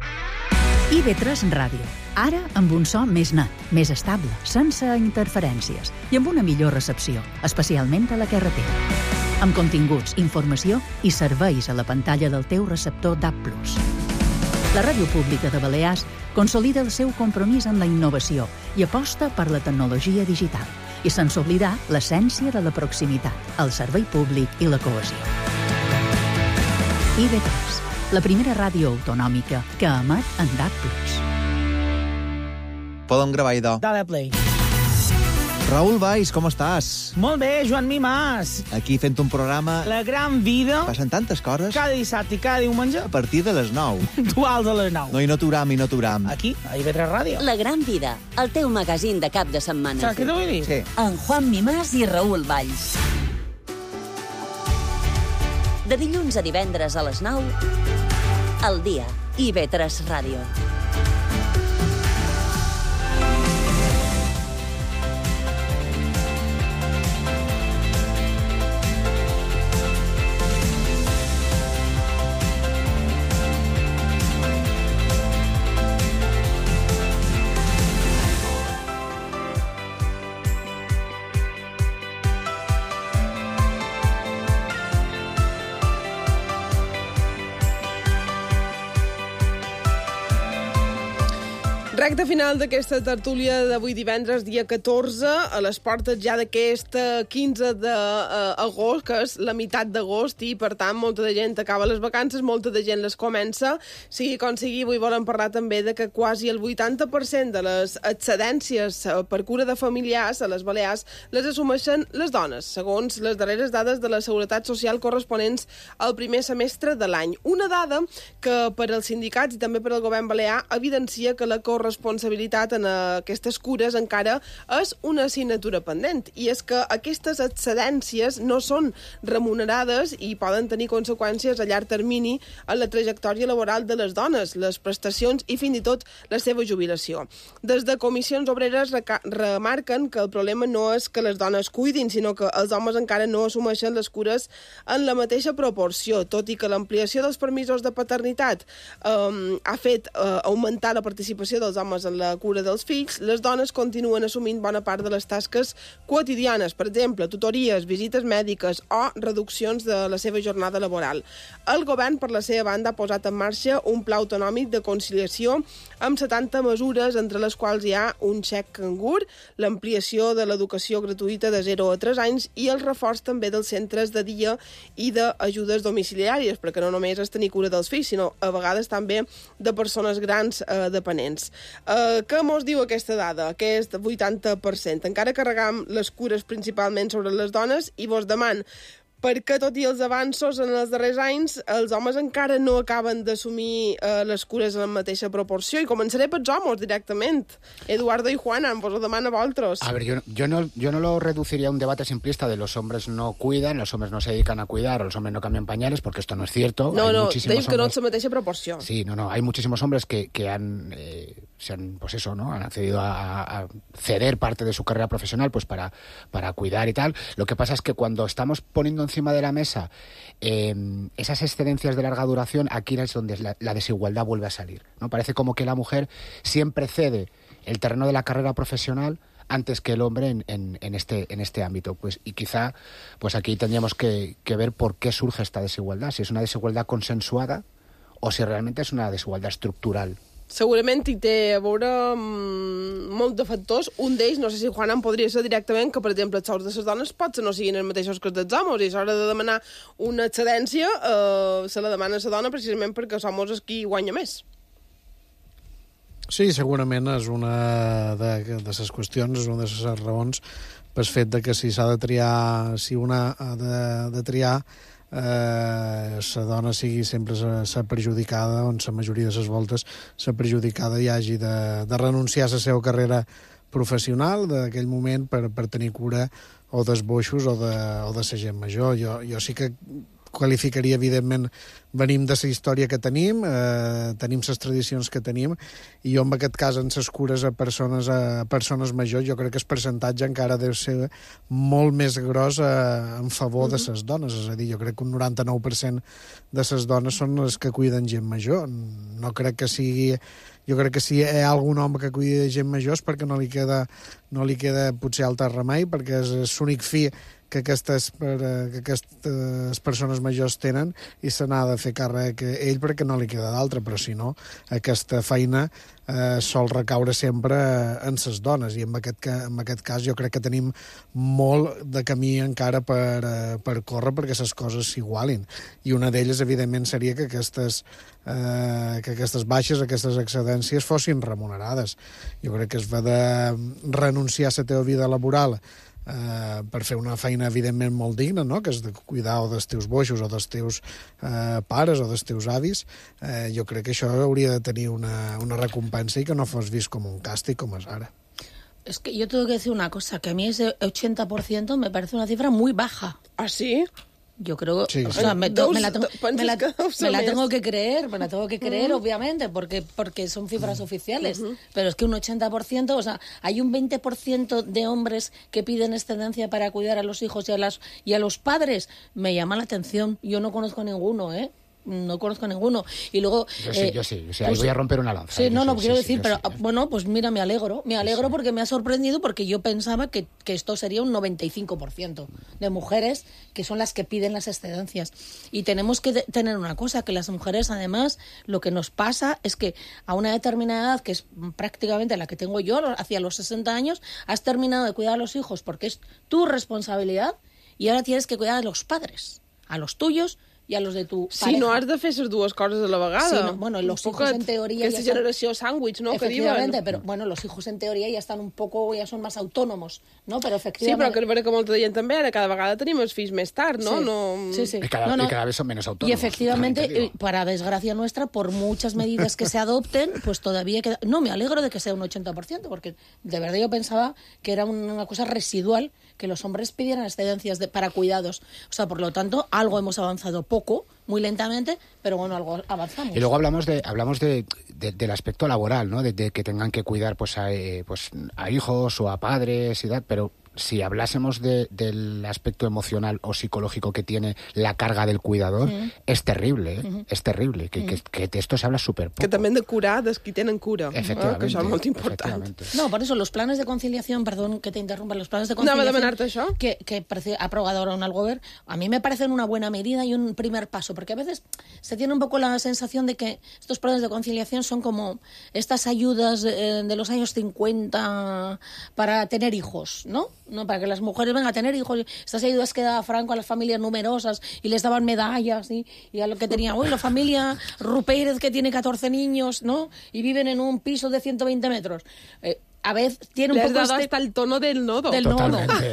IB3 Ràdio. Ara amb un so més net, més estable, sense interferències i amb una millor recepció, especialment a la carretera. Amb continguts, informació i serveis a la pantalla del teu receptor DAB+. La Ràdio Pública de Balears consolida el seu compromís amb la innovació i aposta per la tecnologia digital i sense oblidar l'essència de la proximitat, el servei públic i la cohesió. IB3, la primera ràdio autonòmica que emet en DAB+. Podem gravar, idò. Dale play. Raül Valls, com estàs? Molt bé, Joan Mimàs. Aquí fent un programa... La gran vida. Passen tantes coses. Cada dissabte i cada diumenge. A partir de les 9. Duals a les 9. No, i no t'uram. Aquí, a IB3 Ràdio. La gran vida, el teu magazín de cap de setmana. Saps què t'ho vull dir? Sí. En Juan Mimàs i Raül Valls. De dilluns a divendres a les 9, al dia, IB3 Ràdio. Recte final d'aquesta tertúlia d'avui divendres, dia 14, a les portes ja d'aquest 15 d'agost, que és la meitat d'agost, i per tant molta de gent acaba les vacances, molta de gent les comença. Sigui com sigui, avui volem parlar també de que quasi el 80% de les excedències per cura de familiars a les Balears les assumeixen les dones, segons les darreres dades de la Seguretat Social corresponents al primer semestre de l'any. Una dada que per als sindicats i també per al govern balear evidencia que la corresponsabilitat en aquestes cures encara és una assignatura pendent, i és que aquestes excedències no són remunerades i poden tenir conseqüències a llarg termini en la trajectòria laboral de les dones, les prestacions i fins i tot la seva jubilació. Des de Comissions Obreres remarquen que el problema no és que les dones cuidin, sinó que els homes encara no assumeixen les cures en la mateixa proporció, tot i que l'ampliació dels permisos de paternitat ha fet augmentar la participació dels homes en la cura dels fills, les dones continuen assumint bona part de les tasques quotidianes, per exemple, tutories, visites mèdiques o reduccions de la seva jornada laboral. El govern, per la seva banda, ha posat en marxa un pla autonòmic de conciliació amb 70 mesures, entre les quals hi ha un xec cangur, l'ampliació de l'educació gratuïta de 0 a 3 anys i el reforç també dels centres de dia i d'ajudes domiciliàries, perquè no només és tenir cura dels fills, sinó a vegades també de persones grans dependents. Què mos diu aquesta dada, aquest 80%? Encara carregam les cures principalment sobre les dones i vos deman perquè, tot i els avanços en els darrers anys, els homes encara no acaben d'assumir les cures en la mateixa proporció. I començaré pels homes directament. Eduardo y Juana, vos ho demano a vosotros. A ver, yo no lo reduciría a un debate simplista de los hombres no cuidan, los hombres no se dedican a cuidar, o los hombres no cambian pañales, porque esto no es cierto. No, digo que no en la mateixa proporció. Sí, hay muchísimos hombres que han pues eso, ¿no? Han accedido a ceder parte de su carrera profesional pues para cuidar y tal. Lo que pasa es que cuando estamos poniendo encima de la mesa esas excedencias de larga duración, aquí es donde la desigualdad vuelve a salir, ¿no? Parece como que la mujer siempre cede el terreno de la carrera profesional antes que el hombre en este ámbito. Y quizá pues aquí tendríamos que ver por qué surge esta desigualdad, si es una desigualdad consensuada o si realmente es una desigualdad estructural. Segurament hi té a veure molts de factors. Un d'ells, no sé si Juan en podria ser directament, que per exemple els sous de les dones potser no siguin els mateixos que els dels homes, i a l'hora de demanar una excedència se la demana a la dona precisament perquè els homes és qui guanya més. Sí, segurament és una de les qüestions, és una de les raons pel fet de que si s'ha de triar, si una ha de triar, la dona sigui sempre la perjudicada, on la majoria de les voltes la perjudicada i hagi de renunciar a la seva carrera professional d'aquell moment per tenir cura o dels boixos o de la gent major. Jo sí que qualificaria, evidentment, venim de la història que tenim les tradicions que tenim, i jo en aquest cas en les cures a persones majors jo crec que el percentatge encara deu ser molt més gros en favor de les dones, és a dir, jo crec que un 99% de les dones són les que cuiden gent major. No crec que sigui... Jo crec que si hi ha algun home que cuida gent major és perquè no li queda potser altre remei, perquè és l'únic fi que aquestes persones majors tenen i se n'ha de fer càrrec ell perquè no li queda d'altre, però si no, aquesta feina sol recaure sempre en les dones, i en aquest cas jo crec que tenim molt de camí encara per córrer perquè les coses s'igualin, i una d'elles evidentment seria que aquestes baixes, aquestes excedències fossin remunerades. Jo crec que es va de renunciar a la teva vida laboral per fer una feina evidentment molt digna, no? Que és de cuidar o dels teus boixos o dels teus pares o dels teus avis. Jo crec que això hauria de tenir una recompensa i que no fos vist com un càstig com és ara. Es que yo tengo que decir una cosa, que a mí ese 80% me parece una cifra muy baja. ¿Ah, sí? Yo creo, sí, o sea, me la tengo que creer, obviamente, porque son cifras oficiales, pero es que un 80%, o sea, hay un 20% de hombres que piden excedencia para cuidar a los hijos y a los padres. Me llama la atención, yo no conozco ninguno, ¿eh? no conozco ninguno. Y luego... Yo sí. Ahí voy a romper una lanza. Sí, quiero decir, pero bueno, pues mira, me alegro porque me ha sorprendido, porque yo pensaba que esto sería un 95% de mujeres que son las que piden las excedencias. Y tenemos que tener una cosa, que las mujeres, además, lo que nos pasa es que a una determinada edad, que es prácticamente la que tengo yo, hacia los 60 años, has terminado de cuidar a los hijos porque es tu responsabilidad y ahora tienes que cuidar a los padres, a los tuyos i a los de tu pareja. Sí, no has de fer les dues coses a la vegada. Sí, no, bueno, los hijos en teoría... Aquesta generació sàndwich, no?, que diuen. Efectivamente, pero bueno, los hijos en teoría ya están un poco, ya son más autónomos, ¿no? Pero efectivamente... Sí, però que és vera que molta gent també, ara cada vegada tenim els fills més tard, ¿no? Sí. Y cada vez son menos autónomos. Y efectivamente, para desgracia nuestra, por muchas medidas que se adopten, pues todavía queda... No, me alegro de que sea un 80%, porque de verdad yo pensaba que era una cosa residual que los hombres pidieran excedencias para cuidados. O sea, por lo tanto, algo hemos avanzado poco, muy lentamente, pero bueno, algo avanzamos. Y luego hablamos del aspecto laboral, ¿no? De que tengan que cuidar pues a hijos o a padres y tal, pero si hablásemos del aspecto emocional o psicológico que tiene la carga del cuidador, es terrible, ¿eh? Es terrible, que de esto se habla súper poco. Que també hem de curar dels qui tenen cura, efectivamente, que això és molt important. No, por eso los planes de conciliación, perdón que te interrumpa, los planes de conciliación que ha aprobado ahora un Algover, a mí me parecen una buena medida y un primer paso, porque a veces se tiene un poco la sensación de que estos planes de conciliación son como estas ayudas de los años 50 para tener hijos, ¿no? No, para que las mujeres vengan a tener hijos. Estas ayudas que daba Franco a las familias numerosas y les daban medallas, y a lo que tenía hoy la familia Rupérez, que tiene 14 niños, ¿no? Y viven en un piso de 120 metros. A veces tiene un poco... Le has dado hasta el tono del nodo. Totalmente.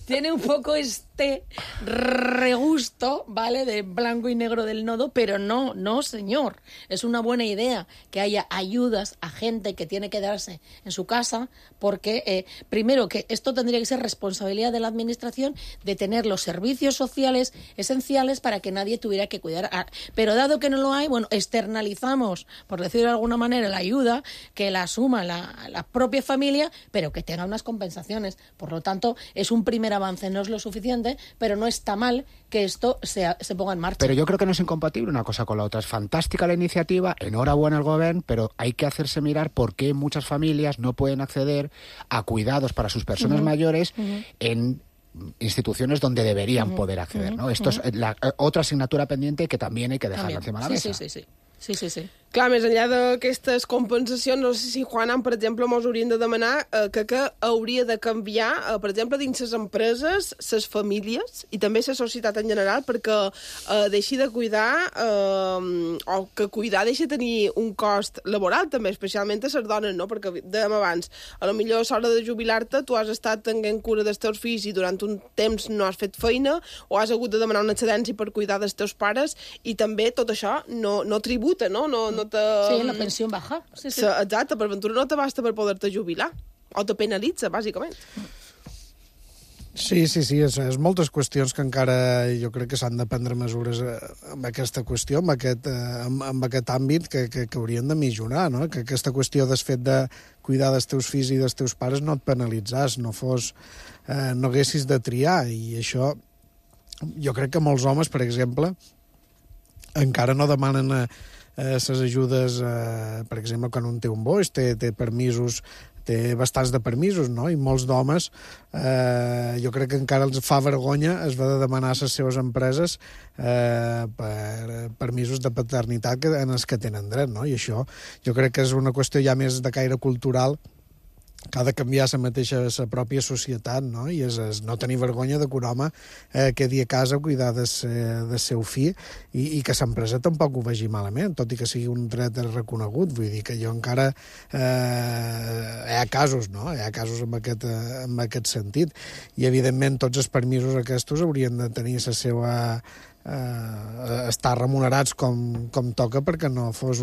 Tiene un poco este regusto, ¿vale?, de blanco y negro del nodo, pero no, señor. Es una buena idea que haya ayudas a gente que tiene que quedarse en su casa, porque, primero, que esto tendría que ser responsabilidad de la administración de tener los servicios sociales esenciales para que nadie tuviera que cuidar. Pero dado que no lo hay, bueno, externalizamos, por decirlo de alguna manera, la ayuda, que la asuma la propia familia, pero que tenga unas compensaciones. Por lo tanto, es un primer avance, no es lo suficiente, pero no está mal que esto se ponga en marcha. Pero yo creo que no es incompatible una cosa con la otra. Es fantástica la iniciativa, enhorabuena al gobierno, pero hay que hacerse mirar por qué muchas familias no pueden acceder a cuidados para sus personas mayores en instituciones donde deberían poder acceder, ¿no? Esto es otra asignatura pendiente que también hay que dejar encima de la mesa. Sí. Clar, més enllà d'aquestes compensacions, no sé si, Juan, per exemple, mos haurien de demanar que hauria de canviar, per exemple, dins les empreses, les famílies i també la societat en general, perquè deixi de cuidar, o que cuidar deixi de tenir un cost laboral, també, especialment a les dones, no? Perquè dèiem abans, a lo millor a l'hora de jubilar-te tu has estat tenint cura dels teus fills i durant un temps no has fet feina, o has hagut de demanar una excedència per cuidar dels teus pares, i també tot això no tributa, no Sí, la pensió baja. Sí. Exacte, per ventura no te basta per poder-te jubilar. O te penalitza, bàsicament. Sí, és moltes qüestions que encara jo crec que s'han de prendre mesures amb aquesta qüestió, amb aquest àmbit que haurien de millorar, no? Que aquesta qüestió del fet de cuidar dels teus fills i dels teus pares no et penalitzàs, no haguessis de triar, i això jo crec que molts homes, per exemple, encara no demanen les ajudes, per exemple, quan un té un boix, té permisos, té bastants de permisos, no? I molts d'homes, jo crec que encara els fa vergonya es va de demanar a les seves empreses per permisos de paternitat en els que tenen dret, no? I això jo crec que és una qüestió ja més de caire cultural, que ha de canviar la pròpia societat, no? I és no tenir vergonya de que un home quedi a casa a cuidar del seu fill i que l'empresa tampoc ho vegi malament, tot i que sigui un dret reconegut. Vull dir que jo encara hi ha casos, no? Hi ha casos en aquest sentit. I, evidentment, tots els permisos aquests haurien de tenir la seva estar remunerats com toca, perquè no fos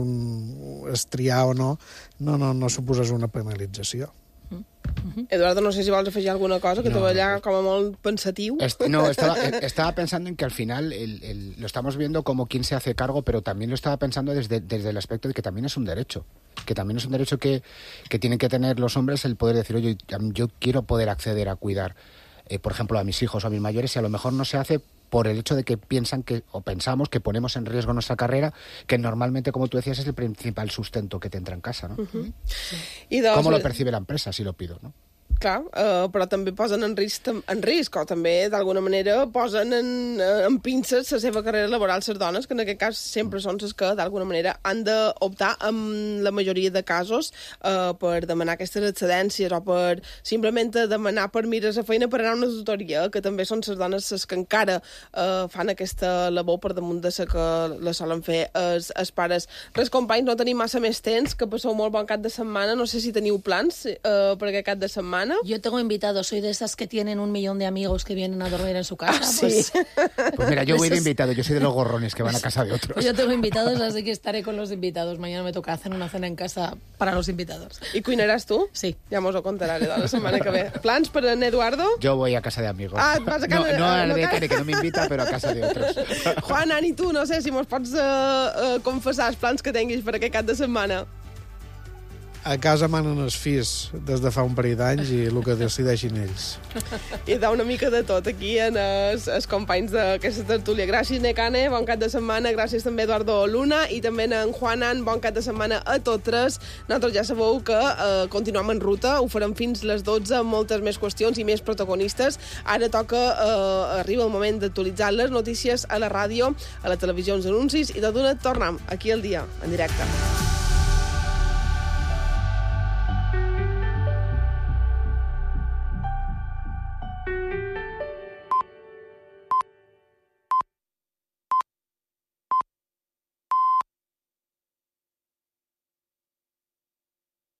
estriar o no suposés una penalització. Eduardo, no sé si vols afegir alguna cosa, que te veia com a molt pensatiu. No, estaba pensando en que al final lo estamos viendo como quien se hace cargo, pero también lo estaba pensando desde el aspecto de que también es un derecho. Que también es un derecho que tienen que tener los hombres, el poder decir, oye, yo quiero poder acceder a cuidar, por ejemplo, a mis hijos o a mis mayores, y a lo mejor no se hace por el hecho de que piensan que, o pensamos que ponemos en riesgo nuestra carrera, que normalmente, como tú decías, es el principal sustento que te entra en casa, ¿no? ¿Cómo lo percibe la empresa si lo pido, no? Clar, però també posen en risc, o també, d'alguna manera, posen en pinces la seva carrera laboral les dones, que en aquest cas sempre són les que, d'alguna manera, han d'optar, en la majoria de casos, per demanar aquestes excedències o per simplement demanar permís a feina per anar a una tutoria, que també són les dones les que encara fan aquesta labor per damunt de la que la solen fer els pares. Res, companys, no tenim massa més temps, que passeu molt bon cap de setmana. No sé si teniu plans per aquest cap de setmana. Yo tengo invitados, soy de esas que tienen 1 millón de amigos que vienen a dormir en su casa. Sí. Pues mira, yo voy de invitado, yo soy de los gorrones que van a casa de otros. Pues yo tengo invitados, así que estaré con los invitados. Mañana me toca hacer una cena en casa para los invitados. I cuinaràs tu? Sí. Ja mos ho contaràs la setmana que ve. Plans per en Eduardo? Yo voy a casa de amigos. Ah, vas a casa no al de Care, que no me invita, pero a casa de otros. Juan, Ani, tu, no sé si mos pots confessar els plans que tinguis per aquest cap de setmana. A casa manen els fills des de fa un parell d'anys i el que decideixin ells. I da una mica de tot aquí en els companys d'aquesta tertúlia. Gràcies, Necane, bon cap de setmana. Gràcies també, Eduardo Luna, i també en Juanan, bon cap de setmana a tots tres. Nosaltres ja sabeu que continuem en ruta, ho farem fins les 12, amb moltes més qüestions i més protagonistes. Ara arriba el moment d'actualitzar les notícies a la ràdio, a la televisió, els anuncis, i tot d'una tornem aquí al dia, en directe.